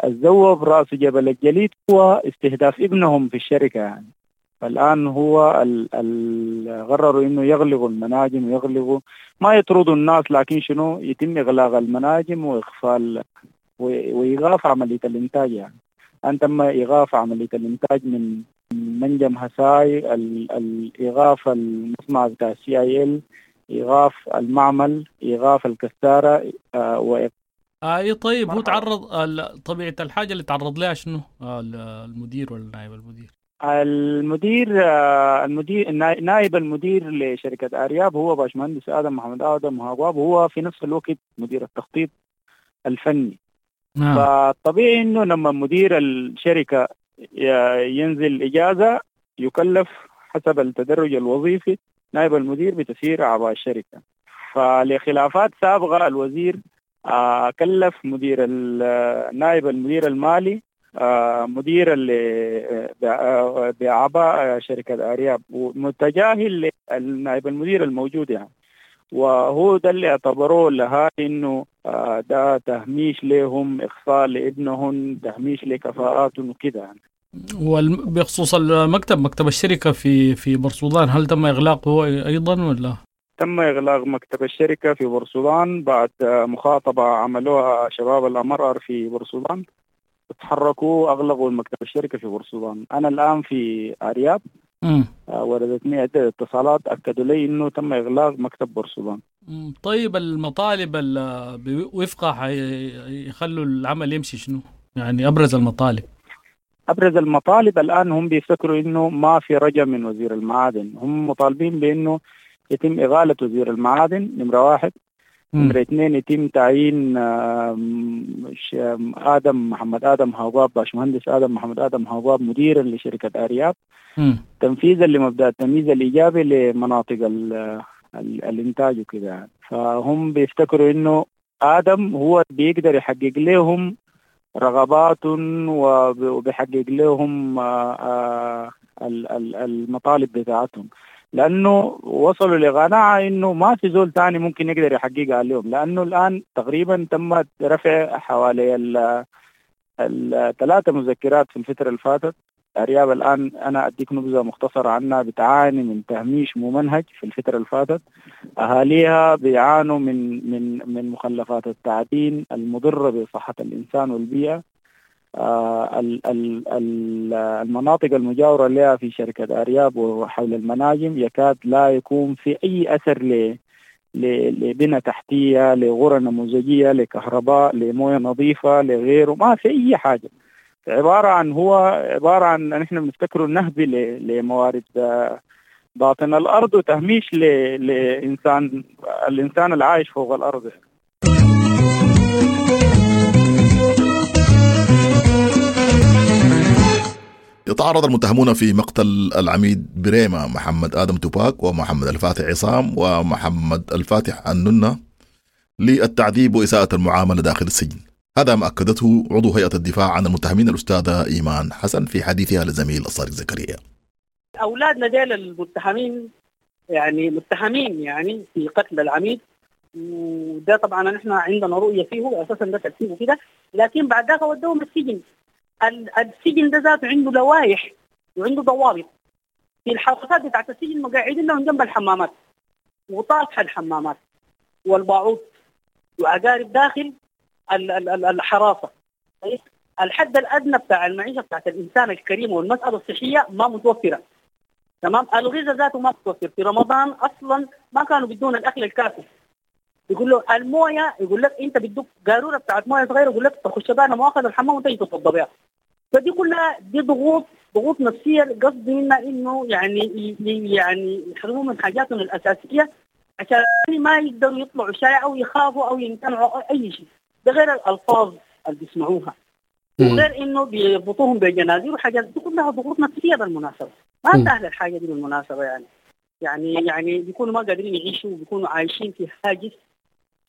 الذوب رأس جبل الجليد هو استهداف ابنهم في الشركة يعني. فالآن هو قرروا إنه يغلقوا المناجم ويغلقوا، ما يطردوا الناس لكن شنو يتم إغلاق المناجم وإقفال وإيقاف عملية الإنتاج يعني. أن تم إيقاف عملية الإنتاج من منجم هساي، الإيقاف المصنع بتاع CIL، إيقاف المعمل، إيقاف الكسارة. اي طيب، هو تعرض طبيعة الحاجة اللي تعرض لها شنو المدير ولا نائب المدير؟ المدير نائب المدير لشركة أرياب هو باشمهندس آدم محمد آدم هاقواب، هو في نفس الوقت مدير التخطيط الفني. نعم. فطبيعي انه لما مدير الشركة ينزل إجازة يكلف حسب التدرج الوظيفي نائب المدير بتسيير أعباء الشركة. فلخلافات سابقة الوزير كلف مدير نائب المدير المالي مدير اللي بأعباء شركة أرياب، ومتجاهل نائب المدير الموجود يعني. وهو ده اللي اعتبروه لها إنه ده تهميش لهم، إخفاء لابنهم، تهميش لكفاءاتهم وكده يعني. وبخصوص المكتب، مكتب الشركة في بورسودان، هل تم إغلاقه أيضا ولا؟ تم إغلاق مكتب الشركة في بورسودان بعد مخاطبة عملوها شباب الأمرار في بورسودان، تحركوا أغلقوا المكتب الشركة في بورسودان. أنا الآن في أرياب، وردتني عدة اتصالات أكدوا لي إنه تم إغلاق مكتب بورسودان. طيب المطالب بوفقها يخلوا العمل يمشي شنو؟ يعني أبرز المطالب. أبرز المطالب الآن هم بيفتكروا إنه ما في رجا من وزير المعادن، هم مطالبين بإنه يتم إغالة وزير المعادن نمرة واحد، نمرة اثنين يتم تعيين آدم محمد آدم هاقواب، باشمهندس آدم محمد آدم هاقواب مديرا لشركة أرياب، تنفيذا لمبدأ التمييز الإيجابي لمناطق الإنتاج وكذا يعني. فهم بيفتكروا إنه آدم هو بيقدر يحقق لهم رغبات وبيحقق لهم المطالب بتاعتهم، لأنه وصلوا لقناعة إنه ما في زول تاني ممكن يقدر يحققها عليهم، لأنه الآن تقريبا تم رفع حوالي الثلاثة مذكرات في الفترة اللي فاتت. أرياب الآن أنا أديك نبذة مختصرة عنها، بتعاني من تهميش ممنهج في الفترة اللي فاتت، أهاليها بيعانوا من من من مخلفات التعدين المضرة بصحة الإنسان والبيئة. المناطق المجاورة لها في شركة أرياب وحول المناجم يكاد لا يكون في أي أثر لبنى تحتية، لغرى نموذجية، لكهرباء، لموية نظيفة، لغيره، ما في أي حاجة. عبارة عن هو عبارة عن نحن بنفتكره نهب لموارد باطن الأرض وتهميش لإنسان الإنسان العايش فوق الأرض. يتعرض المتهمون في مقتل العميد بريمة محمد آدم توباك ومحمد الفاتح عصام ومحمد الفاتح الننة للتعذيب وإساءة المعاملة داخل السجن. هذا ما أكدته عضو هيئة الدفاع عن المتهمين الأستاذة إيمان حسن في حديثها لزميل الصادق زكريا. أولادنا ديل المتهمين يعني متهمين يعني في قتل العميد، وده طبعا نحن عندنا رؤية فيه أساسا ده ترتيبه كده، لكن بعد ذاك ودوهم السجن. السجن ده ذاته عنده لوائح وعنده ضوابط. في الحراسات بتاعت السجن مقاعدين لهم جنب الحمامات وطافحة الحمامات والباعوض وأقارب داخل الحراسة. الحد الأدنى بتاع المعيشة بتاعت الإنسان الكريم والمسألة الصحية ما متوفرة. تمام، الغذاء ذاته ما متوفر. في رمضان أصلا ما كانوا بدون الأكل الكافي. يقول له المويه، يقول لك أنت بدك قارورة بتاعت مويه صغيرة، يقول لك تخش بها مؤاخذة الحمام وتجي تتوضى بها. فدي كلها دي ضغوط نفسية، قصدي منها إنه يعني يحرموا من حاجاتهم الأساسية عشان ما يقدروا يطلعوا شارع او يخافوا او يمتنعوا أو اي شيء. ده غير الالفاظ اللي بيسمعوها، وغير انه بيربطوهم بجنازير وحاجات دي كلها ضغوط نفسية بالمناسبة. ما سهلة الحاجة دي بالمناسبة، يعني بيكونوا ما قادرين يعيشوا، وبيكونوا عايشين في هاجس،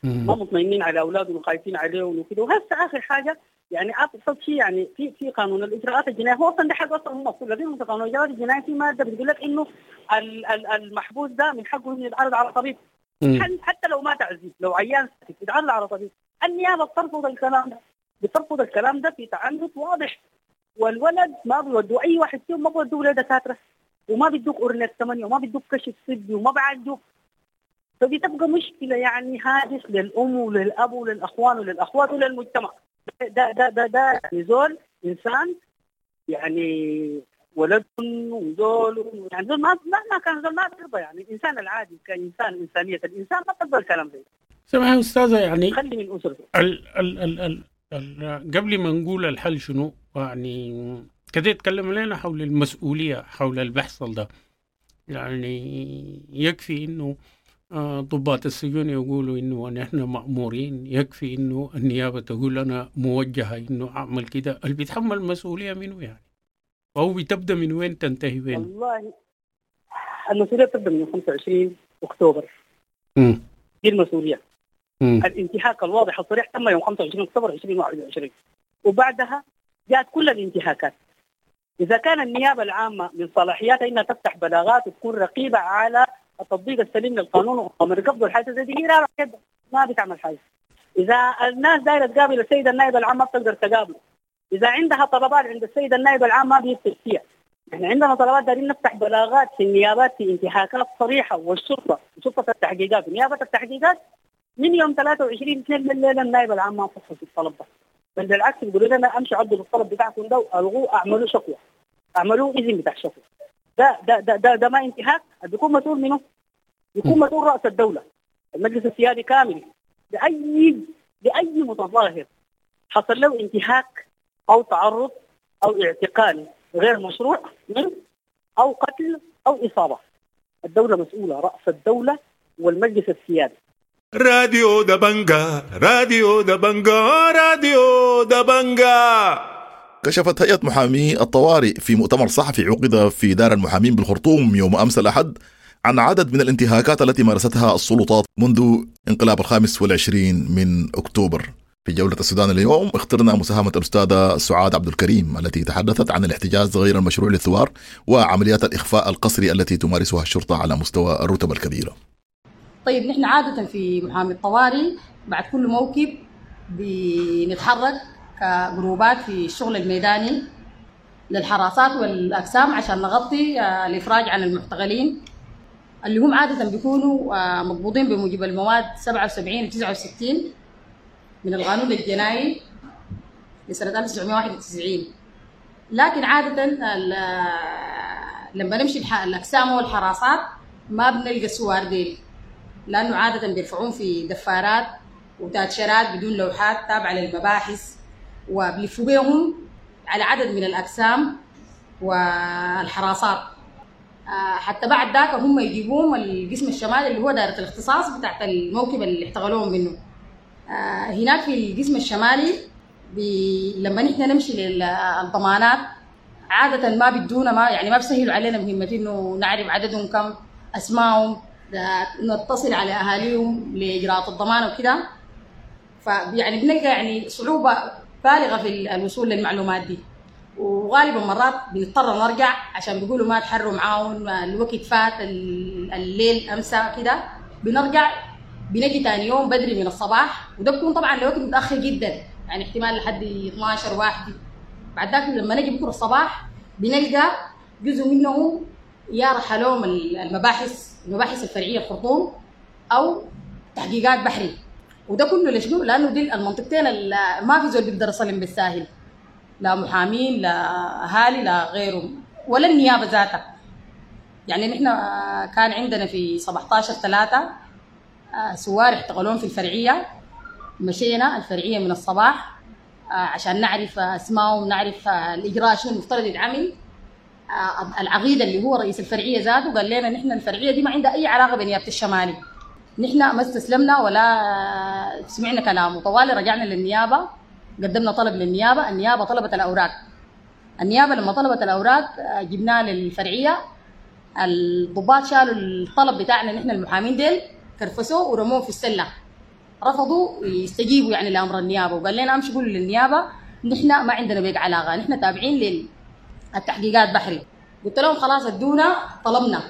ما مطمئنين على اولادهم وخايفين عليهم وكده. وهسه اخر حاجة يعني ابسط شيء يعني في قانون الاجراءات الجنائية، هو اصلا ده حق اصلا هم المفروض، لكن في قانون الاجراءات الجنائية في مادة بتقول لك انه المحبوس ده من حقه انه يتعرض على طبيب، حتى لو ما تعذيب، لو عيان يتعرض على طبيب. النيابة بترفض الكلام ده، بترفض الكلام ده في تعنت واضح. والولد ما بيودوا اي واحد فيهم، ما بيودوه لدكاتره، وما بيدوك اورنيك 8، وما بيدوك كشف طبي، وما بعالجوك. فدي تبقى مشكلة يعني هاجس للام وللاب وللاخوان وللاخوات وللمجتمع. ده ده ده ده يعني زول انسان يعني ولد وزول، يعني زول ما كان زول ما بيرضى، يعني الانسان العادي كانسان، انسانيه الانسان ما تقبل الكلام ده. سمح يا استاذه، يعني خلي من اسرته. ال ال ال ال قبل ما نقول الحل شنو، يعني كده يتكلم لنا حول المسؤولية حول اللي بيحصل ده. يعني يكفي انه ضباط السجون يقولوا انه نحن مأمورين، يكفي انه النيابة تقول انا موجهة انه اعمل كده. اللي بيتحمل المسؤولية منه يعني، أو بتبدأ من وين تنتهي وين؟ والله المسؤولية بتبدأ من 25 أكتوبر. دي المسؤولية. الانتهاك الواضح الصريح تم يوم 25 أكتوبر 2021، وبعدها جاءت كل الانتهاكات. إذا كان النيابة العامة من صلاحياتها إنها تفتح بلاغات وتكون رقيبة على التطبيق السليم للقانون ومن قبض الحاجة زي دي، هي ما بتعمل حاجة. إذا الناس دايرة تقابل السيد النائب العام ما بتقدر تقابله. إذا عندها طلبات عند السيد النائب العام ما بيكتب فيها. إحنا عندنا طلبات دايرين نفتح بلاغات في النيابات في انتهاكات صريحة، والشرطة وشرطة التحقيقات ونيابة التحقيقات من يوم 23/2 بالليل النائب العام ما فحص الطلب ده، بل بالعكس بيقولوا لنا امشوا عدلوا الطلب بتاعكم ده والغوه، اعملوا شكوى، اعملوا اذن بتاع شكوى. ده ده ده ده, ده ما انتهاك، بيكون مسؤول منه، بيكون مسؤول رأس الدولة، المجلس السيادي كامل لأي متظاهر حصل له انتهاك أو تعرض أو اعتقال غير مشروع منه أو قتل أو إصابة. الدولة مسؤولة، رأس الدولة والمجلس السيادي. راديو دبنجا، راديو دبنجا، راديو دبنجا. كشفت هيئة محامي الطوارئ في مؤتمر صحفي عقد في دار المحامين بالخرطوم يوم أمس الأحد عن عدد من الانتهاكات التي مارستها السلطات منذ انقلاب 25 من أكتوبر. في جولة السودان اليوم اخترنا مساهمة الأستاذة سعاد عبد الكريم التي تحدثت عن الاحتجاز غير المشروع للثوار وعمليات الإخفاء القسري التي تمارسها الشرطة على مستوى الرتب الكبيرة. طيب، نحن عادة في محامي الطوارئ بعد كل موكب بنتحرك كجروبات في الشغل الميداني للحراسات والأقسام عشان نغطي الإفراج عن المعتقلين اللي هم عادة بيكونوا مقبوضين بموجب المواد 77 و 69 من القانون الجنائي لسنة 1991. لكن عادة لما نمشي الأقسام والحراسات ما بنلقى السوار ديل، لأنه عادة بيرفعون في دفارات وتاتشرات بدون لوحات تابعة للمباحث، وبلفوا بيهم على عدد من الأقسام والحراسات حتى بعد ذاك هم يجيبوهم القسم الشمالي اللي هو دائرة الاختصاص بتاعت الموكب اللي احتغلوهم منه. هناك في القسم الشمالي لما نحن نمشي للضمانات عادة ما بدونا، ما يعني ما بسهلوا علينا مهمة انه نعرف عددهم كم، اسمائهم، نتصل على اهاليهم لاجراءات الضمان وكده. فيعني بنلقى يعني صعوبة بالغة في الوصول للمعلومات دي، وغالبا مرات بنضطر نرجع عشان بيقولوا ما تحروا معاهم، الوقت فات، الليل امسى كده. بنرجع بنجي تاني يوم بدري من الصباح، وده بيكون طبعا الوقت متاخر جدا، يعني احتمال لحد 12 واحد. بعد ذاك لما نجي بكره الصباح بنلقى جزء منهم يا رحلوهم المباحث الفرعية الخرطوم او تحقيقات بحري. وده كله لشنو؟ لانه دي المنطقتين ما في زول بيقدر يصلم بالساهل، لا محامين لا اهالي لا غيرهم ولا النيابة ذاتها. يعني نحن كان عندنا في 17/3 سوار احتقلوهم في الفرعية، مشينا الفرعية من الصباح عشان نعرف اسمائهم، نعرف الاجراء شنو المفترض يتعمل. العقيد اللي هو رئيس الفرعية ذاته قال لنا نحن الفرعية دي ما عندها اي علاقة بنيابه الشمالي. نحن ما استسلمنا ولا سمعنا كلامه، طوالي رجعنا للنيابه، قدمنا طلب للنيابه، النيابة طلبت الاوراق. النيابة لما طلبت الاوراق جبناها للفرعيه، الضباط شالوا الطلب بتاعنا نحن المحامين ديل، كرفسوه ورموه في السلة، رفضوا يستجيبوا يعني لامر النيابة، وقال لنا امشوا قولوا للنيابه نحن ما عندنا بيك علاقة، نحن تابعين للتحقيقات بحري. قلت لهم خلاص ادونا طلبنا،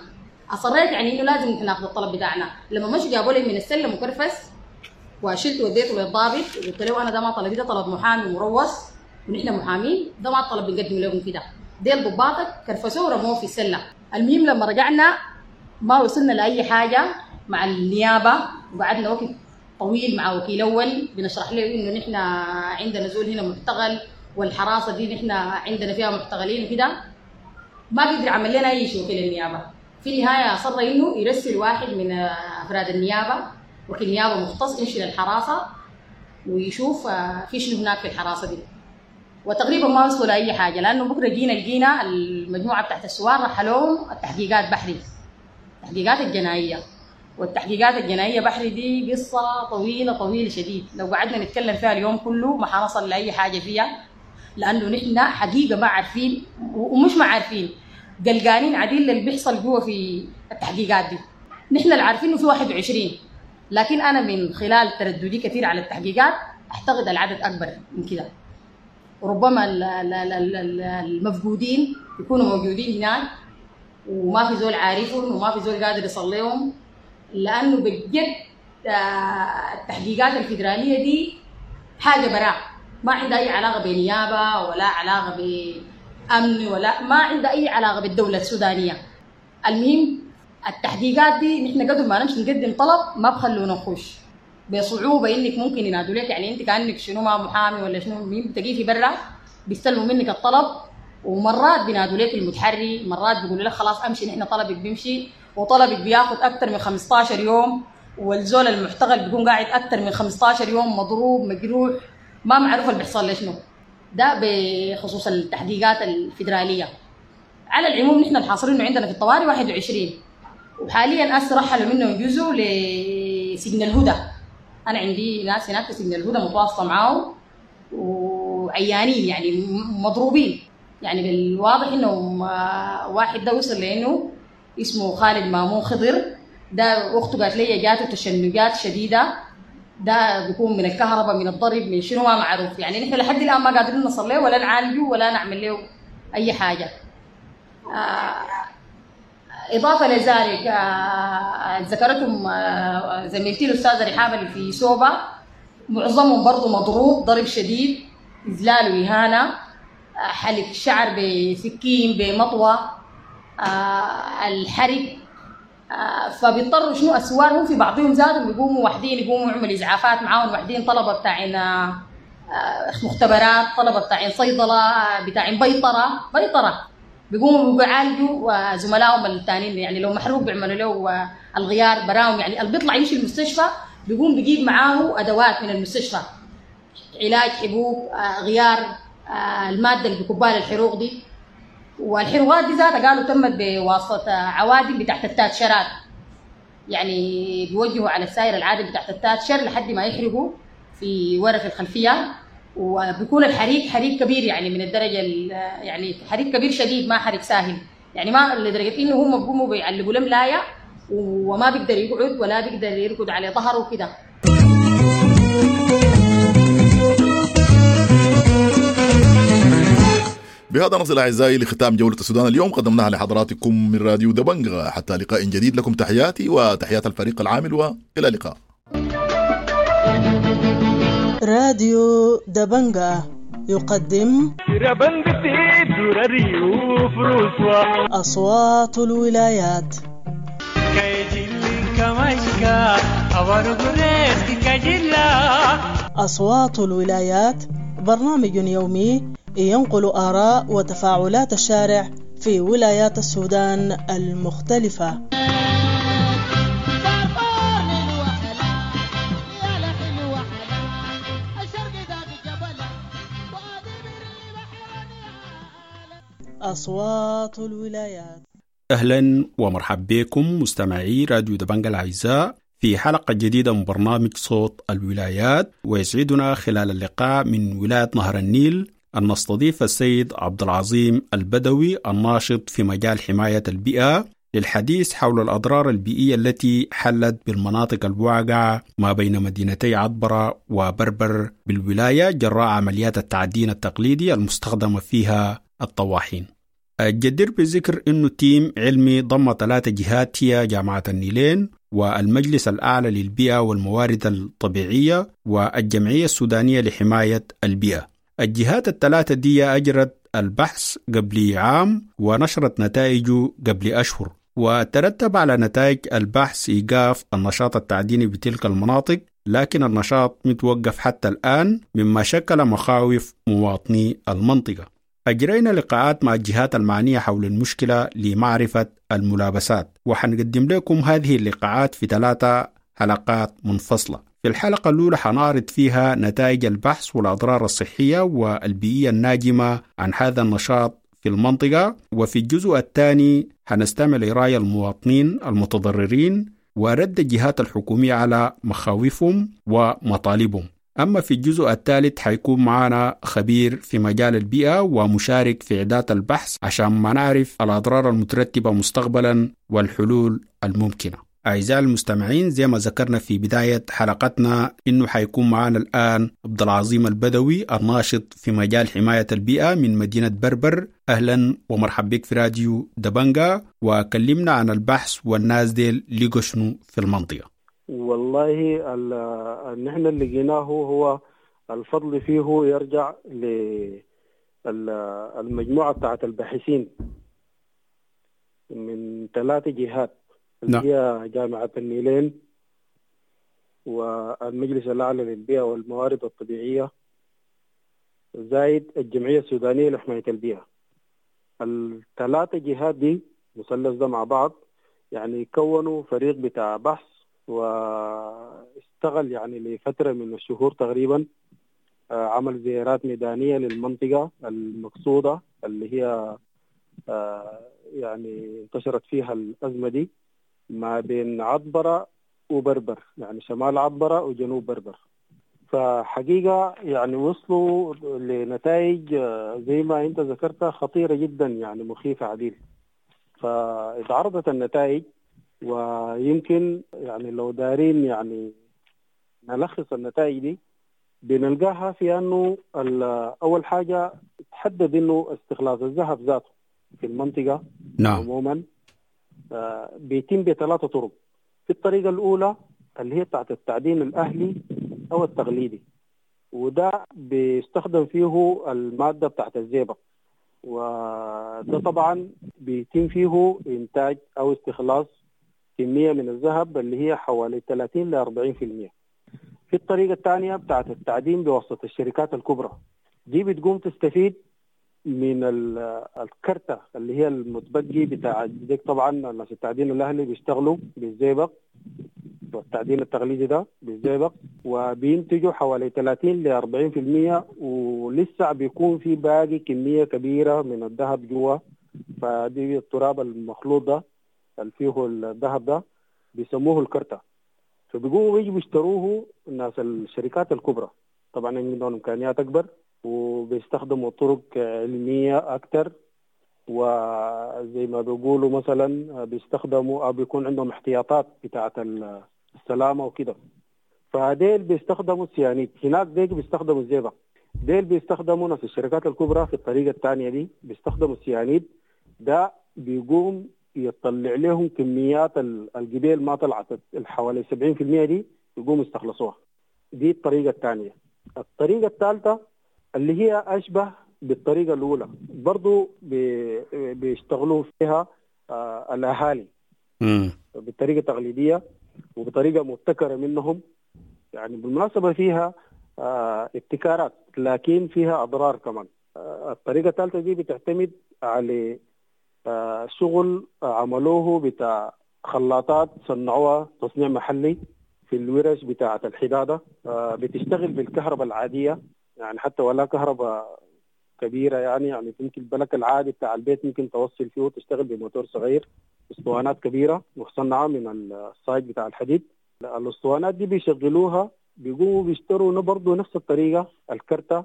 اصريت يعني انه لازم نحن ناخذ الطلب بتاعنا. لما مشوا جابوا لي من السلة مكرفس وشلت وديته للضابط، وقلت له انا ده ما طلبي، ده طلب محامي مروس ونحن محامين، ده ما الطلب بنقدم لكم كده، ديل ضباطك كرفسوه ورموه في السلة. المهم لما رجعنا ما وصلنا لاي حاجة مع النيابة، وقعدنا وقت طويل مع وكيل اول بنشرح له انه نحن عندنا زول هنا معتقل، والحراسه دي نحن عندنا فيها معتقلين وكده، ما قدر عمل لنا اي شيء وكيل النيابة. في النهاية اصر انه يرسل واحد من افراد النيابة، وكيل نيابة مختص، يمشي للحراسه ويشوف في شنو هناك في الحراسة دي. وتقريبا ما وصلوا لاي حاجة، لانه بكره جينا لقينا المجموعة بتاعت السوار رحلوهم التحقيقات بحري، التحقيقات الجنائية. والتحقيقات الجنائية بحري دي قصة طويلة طويلة شديد، لو قعدنا نتكلم فيها اليوم كله ما حنصل لاي حاجة فيها، لانه نحن حقيقة ما عارفين، ومش ما عارفين، قلقانين عديل اللي بيحصل جوا في التحقيقات دي. نحن اللي عارفين انه في 21، لكن انا من خلال ترددي كثير على التحقيقات اعتقد العدد اكبر من كده، وربما المفقودين يكونوا موجودين هناك وما في زول عارفهم وما في زول قادر يصل لهم، لانه بجد التحقيقات الفيدرالية دي حاجة براء، ما عندها اي علاقة بنيابه ولا علاقة بامن ولا ما عندها اي علاقة بالدولة السودانية. المهم التحقيقات دي نحن قبل ما نمشي نقدم طلب ما بخلونا نخش، بصعوبة انك ممكن ينادوا لك، يعني انت كانك شنو ما محامي ولا شنو، مين بتجي برا بيستلموا منك الطلب، ومرات بينادوا لك المتحري، مرات بيقولوا لك خلاص امشي نحن طلبك بيمشي، وطلبك بياخذ اكثر من 15 يوم، والزول المحتغل بيكون قاعد اكثر من 15 يوم مضروب مجروح ما معروف اللي بيحصل له شنو. ده بخصوص التحقيقات الفيدرالية. على العموم نحن الحاصرين عندنا في الطوارئ 21، وحاليا هسه رحلوا منهم جزء لسجن الهدى. انا عندي ناس هناك في سجن الهدى متواصلة معاهم وعيانين يعني مضروبين، يعني بالواضح انه واحد ده وصل لانه اسمه خالد مامون خضر، ده اخته قالت لي جاته تشنجات شديدة، ده بيكون من الكهرباء من الضرب من شنو ما معروف، يعني نحن لحد الان ما قادرين نصل له ولا نعالجه ولا نعمل له اي حاجة. اضافه لذلك ذكرتهم زميلتي الاستاذة رحاب اللي في سوبا، معظمهم برضه مضروب ضرب شديد، اذلال واهانه، حلق شعر بسكين بمطوه، الحرق، فبيضطروا شنو السوار هم في بعضهم زادوا بيقوموا وحدين يقوموا يعملوا ازعافات معاهم وحدين، طلبه بتاعين مختبرات، طلبه بتاعين صيدلة، بتاعين بيطره بيقوموا بيعالجوا زملائهم الثانيين، يعني لو محروق بيعملوا له الغيار براهم، يعني اللي بيطلع يمشي المستشفى بيقوم بيجيب معاه ادوات من المستشفى، علاج، حبوب، غيار، المادة اللي بيكبها للحروق دي. والحروقات دي ذاتها قالوا تمت بواسطة عوادم بتاعت التاتشرات، يعني بيوجهوا على السائر العادم بتاعت التاتشر لحد ما يحرقوا في ورا في الخلفية، وبيكون الحريق حريق كبير، يعني من الدرجة يعني حريق كبير شديد، ما حريق ساهل، يعني ما لدرجة انه هم بيقوموا بيعلقوا له ملايه وما بيقدر يقعد ولا بيقدر يرقد على ظهره كده. بهذا نصل أعزائي لختام جولة السودان اليوم، قدمناها لحضراتكم من راديو دبنجة. حتى لقاء جديد، لكم تحياتي وتحيات الفريق العامل، وإلى اللقاء. راديو دبنجة يقدم أصوات الولايات. أصوات الولايات برنامج يومي ينقل آراء وتفاعلات الشارع في ولايات السودان المختلفة. أصوات الولايات. أهلا ومرحبا بكم مستمعي راديو دبنجة الأعزاء في حلقة جديدة من برنامج صوت الولايات. ويسعدنا خلال اللقاء من ولاية نهر النيل أن نستضيف السيد عبد العظيم البدوي الناشط في مجال حماية البيئة للحديث حول الأضرار البيئية التي حلت بالمناطق الواقعة ما بين مدينتي عطبرة وبربر بالولاية جراء عمليات التعدين التقليدي المستخدمة فيها الطواحين. الجدير بالذكر أنه team علمي ضم 3 جهات هي جامعة النيلين والمجلس الأعلى للبيئة والموارد الطبيعية والجمعية السودانية لحماية البيئة. الجهات الثلاثة دي أجرت البحث قبل عام ونشرت نتائجه قبل أشهر، وترتب على نتائج البحث إيقاف النشاط التعديني بتلك المناطق، لكن النشاط متوقف حتى الآن مما شكل مخاوف مواطني المنطقة. أجرينا لقاءات مع الجهات المعنية حول المشكلة لمعرفة الملابسات، وحنقدم لكم هذه اللقاءات في 3 حلقات منفصلة. في الحلقة الأولى حنعرض فيها نتائج البحث والأضرار الصحية والبيئية الناجمة عن هذا النشاط في المنطقة، وفي الجزء الثاني حنستمع لرأي المواطنين المتضررين ورد الجهات الحكومية على مخاوفهم ومطالبهم. أما في الجزء الثالث حيكون معنا خبير في مجال البيئة ومشارك في إعداد البحث عشان ما نعرف الأضرار المترتبة مستقبلا والحلول الممكنة. أعزائي المستمعين، زي ما ذكرنا في بداية حلقتنا إنه حيكون معنا الآن عبد العظيم البدوي الناشط في مجال حماية البيئة من مدينة بربر. أهلا ومرحبا بك في راديو دبنجا، وكلمنا عن البحث والناس ديل لقوا شنو في المنطقة. والله نحن اللي لقيناه هو الفضل فيه يرجع للمجموعة بتاعت الباحثين من 3 جهات اللي هي جامعة النيلين والمجلس الأعلى للبيئة والموارد الطبيعية زائد الجمعية السودانية لحماية البيئة. ال3 جهات دي مثلث ده مع بعض يعني كونوا فريق بتاع بحث واشتغل يعني لفترة من الشهور تقريبا، عمل زيارات ميدانية للمنطقة المقصودة اللي هي يعني انتشرت فيها الأزمة دي ما بين عطبرة وبربر، يعني شمال عطبرة وجنوب بربر. فحقيقة يعني وصلوا لنتائج زي ما انت ذكرتها خطيرة جدا، يعني مخيفة عديل. فاتعرضت النتائج، ويمكن يعني لو دارين يعني نلخص النتائج دي بنلقاها في أنه أول حاجة تحدد أنه استخلاص الذهب ذاته في المنطقة نعم. عموما بيتم ب3 طرق. في الطريقة الأولى اللي هي بتاعت التعدين الأهلي أو التقليدي، وده بيستخدم فيه المادة بتاعت الزئبق، وده طبعا بيتم فيه إنتاج أو استخلاص كمية من الذهب اللي هي حوالي 30 ل 40%. في الطريقة الثانية بتاعت التعدين بواسطة الشركات الكبرى، دي بتقوم تستفيد من الكرتة اللي هي المتبقي بتاع ديك. طبعا الناس التعدين الأهلي بيشتغلوا بالزئبق والتعدين التقليدي ده بالزئبق، وبينتجوا حوالي 30 ل 40%، ولسه بيكون في باقي كمية كبيرة من الذهب جوا. فدي التراب المخلوط ده اللي فيه الذهب ده بيسموه الكرتة، فبيقوموا بيجوا بيشتروه الناس الشركات الكبرى. طبعا عندهم إمكانيات أكبر وبيستخدموا طرق علمية أكثر، وزي ما بيقولوا مثلا بيستخدموا أو بيكون عندهم احتياطات بتاعة السلامة وكده. فديل بيستخدموا السيانيد، هناك ديل بيستخدموا الزئبق، ديل بيستخدموا ناس الشركات الكبرى في الطريقة الثانية دي بيستخدموا السيانيد. ده بيقوم يطلع لهم كميات الجبال ما طلعت حوالي 70% دي يقوم يستخلصوها. دي الطريقة الثانية. الطريقة الثالثة اللي هي أشبه بالطريقة الأولى برضو بيشتغلوا فيها الأهالي بطريقة تقليدية وبطريقة مبتكرة منهم، يعني بالمناسبة فيها ابتكارات لكن فيها أضرار كمان. الطريقة الثالثة دي بتعتمد على شغل عملوه بتاع خلاطات صنعوها تصنيع محلي في الورش بتاعة الحدادة، بتشتغل بالكهرباء العادية، يعني حتى ولا كهرباء كبيرة، يعني ممكن البلك العادي بتاع البيت ممكن توصل فيه وتشتغل بموتور صغير، اسطوانات كبيرة مصنعة من الصاج بتاع الحديد. الاسطوانات دي بيشغلوها، بيقوموا بيشتروا برضه نفس الطريقة الكرتة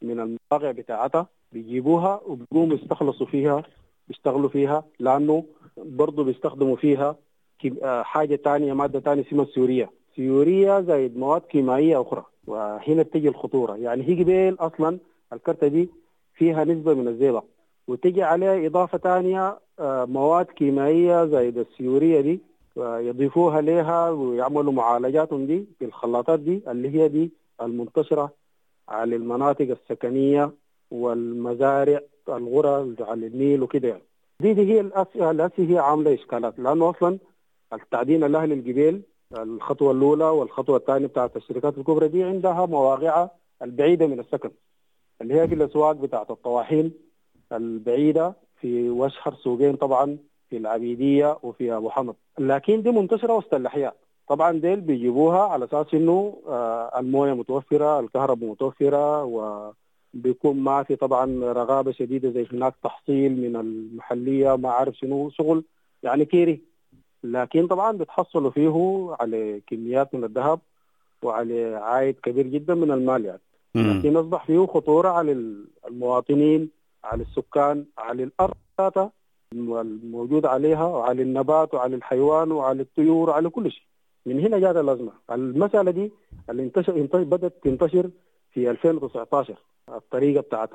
من المواقع بتاعتها، بيجيبوها وبيقوموا يستخلصوا فيها، بيشتغلوا فيها، لأنه برضه بيستخدموا فيها حاجة تانية، مادة تانية اسمها السيورية، سيورية زائد مواد كيميائية أخرى. وهنا بتجي الخطورة، يعني هي قبيل أصلا الكرتة دي فيها نسبة من الزئبق، وتجي عليها إضافة تانية مواد كيميائية زائد السيورية دي، يضيفوها لها ويعملوا معالجاتهم دي في الخلاطات دي اللي هي دي المنتشرة على المناطق السكنية والمزارع، الغرى على النيل وكده يعني. دي هي الأسي هي عاملة إشكالات، لأنه أصلا التعدين الأهلي الجبال الخطوة الأولى والخطوة الثانية بتاعت الشركات الكبرى دي عندها مواقعها البعيدة من السكن، اللي هي في الأسواق بتاعت الطواحين البعيدة في واشهر سوقين طبعا في العبيدية وفي أبو حمد، لكن دي منتشرة وسط الأحياء. طبعا ديل بيجيبوها على أساس إنه الموية متوفرة، الكهرباء متوفرة، وبيكون ما في طبعا رغابة شديدة زي هناك تحصيل من المحلية ما عارف شنو شغل يعني كيري، لكن طبعا بتحصلوا فيه على كميات من الذهب وعلى عائد كبير جدا من المال يعني. لكن أصبح فيه خطورة على المواطنين، على السكان، على الأرض الموجود عليها، وعلى النبات وعلى الحيوان وعلى الطيور وعلى كل شيء. من هنا جاءت الأزمة. المسألة دي اللي بدأت تنتشر في 2019، الطريقة بتاعت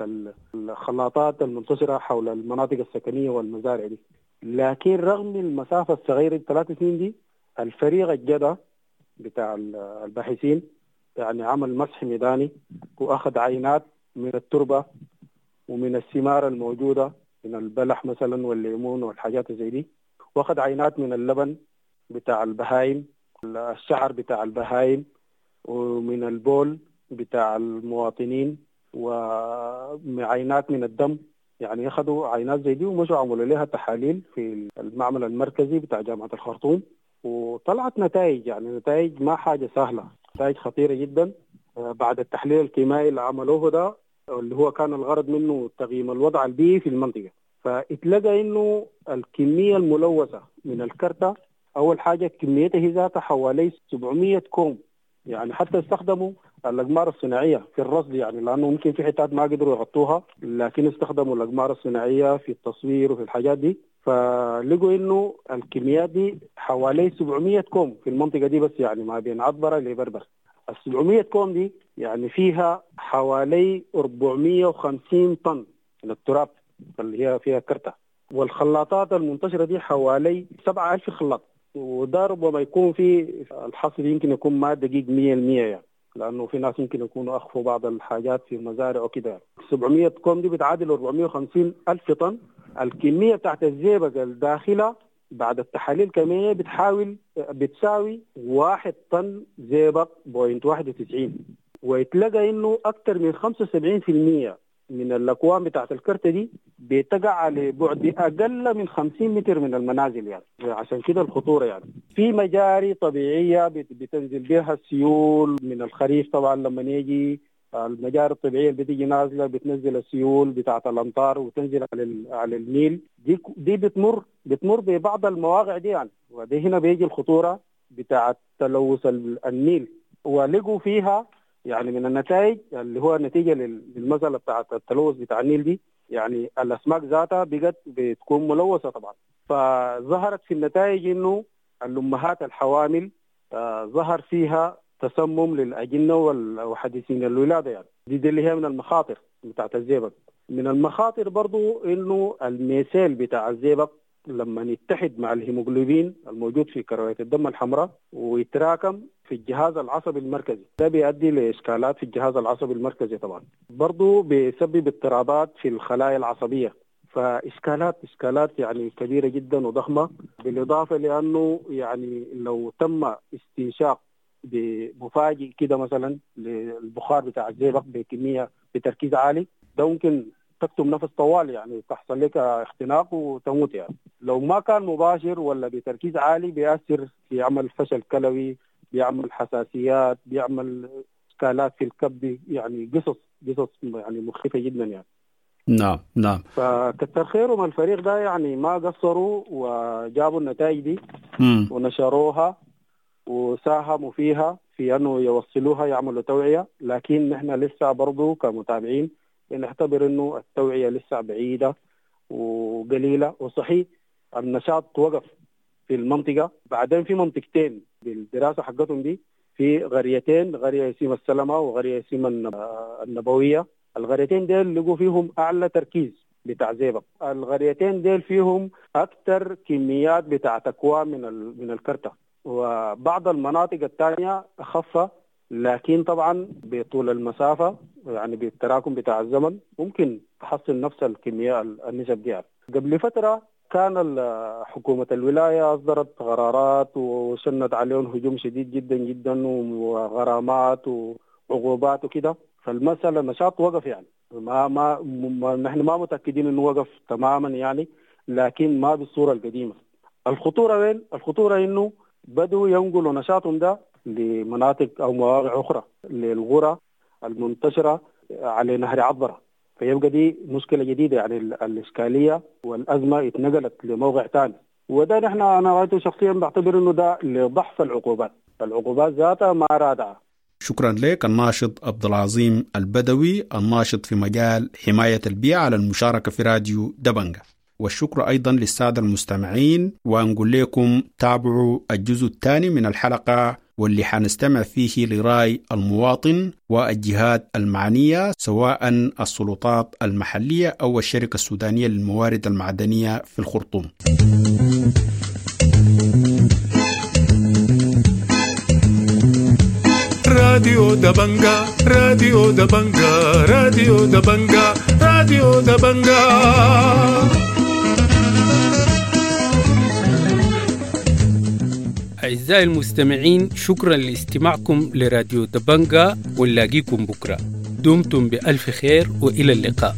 الخلاطات المنتشرة حول المناطق السكنية والمزارع دي. لكن رغم المسافة الصغيرة 3 سنين دي، الفريق الجدة بتاع الباحثين يعني عمل مسح ميداني وأخذ عينات من التربة ومن الثمار الموجودة من البلح مثلا والليمون والحاجات زي دي، واخذ عينات من اللبن بتاع البهايم، الشعر بتاع البهايم، ومن البول بتاع المواطنين، وعينات من الدم. يعني اخذوا عينات زي دي ومشوا عملوا لها تحاليل في المعمل المركزي بتاع جامعة الخرطوم، وطلعت نتائج، يعني نتائج ما حاجة سهلة، نتائج خطيرة جدا. بعد التحليل الكيميائي اللي عملوه ده، اللي هو كان الغرض منه تقييم الوضع البيئي في المنطقة، فاتلقى انه الكمية الملوثة من الكرتة اول حاجة كميتها هي ذاتها حوالي 700 كوم، يعني حتى استخدموا الأقمار الصناعية في الرصد، يعني لأنه ممكن في حتات ما قدروا يغطوها، لكن استخدموا الأقمار الصناعية في التصوير وفي الحاجات دي، فلقوا إنه الكميات دي حوالي 700 كوم في المنطقة دي بس، يعني ما بين عطبرة لبربر. ال 700 كوم دي يعني فيها حوالي 450 طن من التراب اللي هي فيها كرتة، والخلاطات المنتشرة دي حوالي 7000 خلاط، وده ربما يكون في الحصر يمكن يكون ما دقيق 100% يعني، لأنه في ناس يمكن يكونوا أخفوا بعض الحاجات في المزارع وكده. يعني 700 كوم دي بتعادل 450 ألف طن. الكمية بتاعت الزئبق الداخلة بعد التحاليل الكيميائية بتحاول بتساوي 1 طن زئبق 0.91، ويتلقى إنه أكثر من 75% من الأكوام بتاعت الكرتة دي بتقع على بعد أقل من 50 متر من المنازل، يعني عشان كده الخطورة. يعني في مجاري طبيعية بتنزل بها السيول من الخريف طبعا، لما يجي المجاري الطبيعية اللي بتيجي نازلة بتنزل السيول بتاعت الأمطار وتنزل على النيل، دي بتمر ببعض المواقع دي يعني، ودي هنا بيجي الخطورة بتاعت تلوث النيل. ولقوا فيها يعني من النتائج اللي هو نتيجة للمسألة بتاعت التلوث بتاع النيل دي، يعني الأسماك ذاتها بقت بتكون ملوثة طبعا. فظهرت في النتائج إنه الأمهات الحوامل ظهر فيها تسمم للأجنة وحديثين الولادة، يعني دي اللي هي من المخاطر بتاعت الزئبق. من المخاطر برضو إنه الميثيل بتاع الزئبق لما يتحد مع الهيموغلوبين الموجود في كرويات الدم الحمراء ويتراكم في الجهاز العصبي المركزي، ده بيؤدي لإشكالات في الجهاز العصبي المركزي طبعا، برضو بيسبب اضطرابات في الخلايا العصبية، فإشكالات إشكالات يعني كبيرة جدا وضخمة. بالإضافة لأنه يعني لو تم استنشاق بمفاجئ كده مثلا للبخار بتاع الزئبق بكمية بتركيز عالي، ده ممكن تكتم نفس طوال، يعني تحصل لك اختناق وتموت. يعني لو ما كان مباشر ولا بتركيز عالي بيأثر في عمل فشل كلوي، بيعمل حساسيات، بيعمل اشكالات في الكبد، يعني قصص يعني مخيفة جدا يعني. نعم نعم. فكتر خيرهم الفريق ده، يعني ما قصروا وجابوا النتائج دي ونشروها، وساهموا فيها في أنه يوصلوها يعملوا توعية، لكن نحن لسه برضو كمتابعين بنعتبر أنه التوعية لسه بعيدة وقليلة. وصحيح النشاط وقف في المنطقة. بعدين في منطقتين بالدراسة حقتهم دي، في قريتين، قرية اسمها السلمة وقرية اسمها النبوية. القريتين ديل لقوا فيهم أعلى تركيز بتاع زئبق. القريتين ديل فيهم أكثر كميات بتاع تكوى من الكرتة، وبعض المناطق الثانية أخف، لكن طبعا بطول المسافة يعني بالتراكم بتاع الزمن ممكن تحصل نفس الكمية النسب دي. قبل فترة كان حكومة الولاية أصدرت قرارات وشنت عليهم هجوم شديد جدا جدا وغرامات وعقوبات وكده، فالمسألة النشاط وقف يعني ما ما, ما نحن ما متأكدين إنه وقف تماما يعني، لكن ما بالصورة القديمة. الخطورة وين؟ الخطورة إنه بدوا ينقلوا نشاطهم ده لمناطق أو مواقع أخرى، للغرى المنتشرة على نهر عبرة، فيبقى دي مشكلة جديدة يعني. الإشكالية والأزمة اتنقلت لموقع ثاني، وده نحن أنا غايته شخصيا بعتبر إنه ده لضعف العقوبات، العقوبات ذاتها ما رادعة. شكرا لك الناشط عبد العظيم البدوي، الناشط في مجال حماية البيئة، على المشاركة في راديو دبنجة. والشكر أيضا للسادة المستمعين، ونقول لكم تابعوا الجزء الثاني من الحلقة واللي حنستمع فيه لرأي المواطن والجهات المعنية، سواء السلطات المحلية أو الشركة السودانية للموارد المعدنية في الخرطوم. راديو دبنجا، راديو دبنجا، راديو دبنجا، راديو دبنجا. أعزائي المستمعين، شكرا لاستماعكم لراديو دبنجا، ونلاقيكم بكرة. دمتم بألف خير وإلى اللقاء.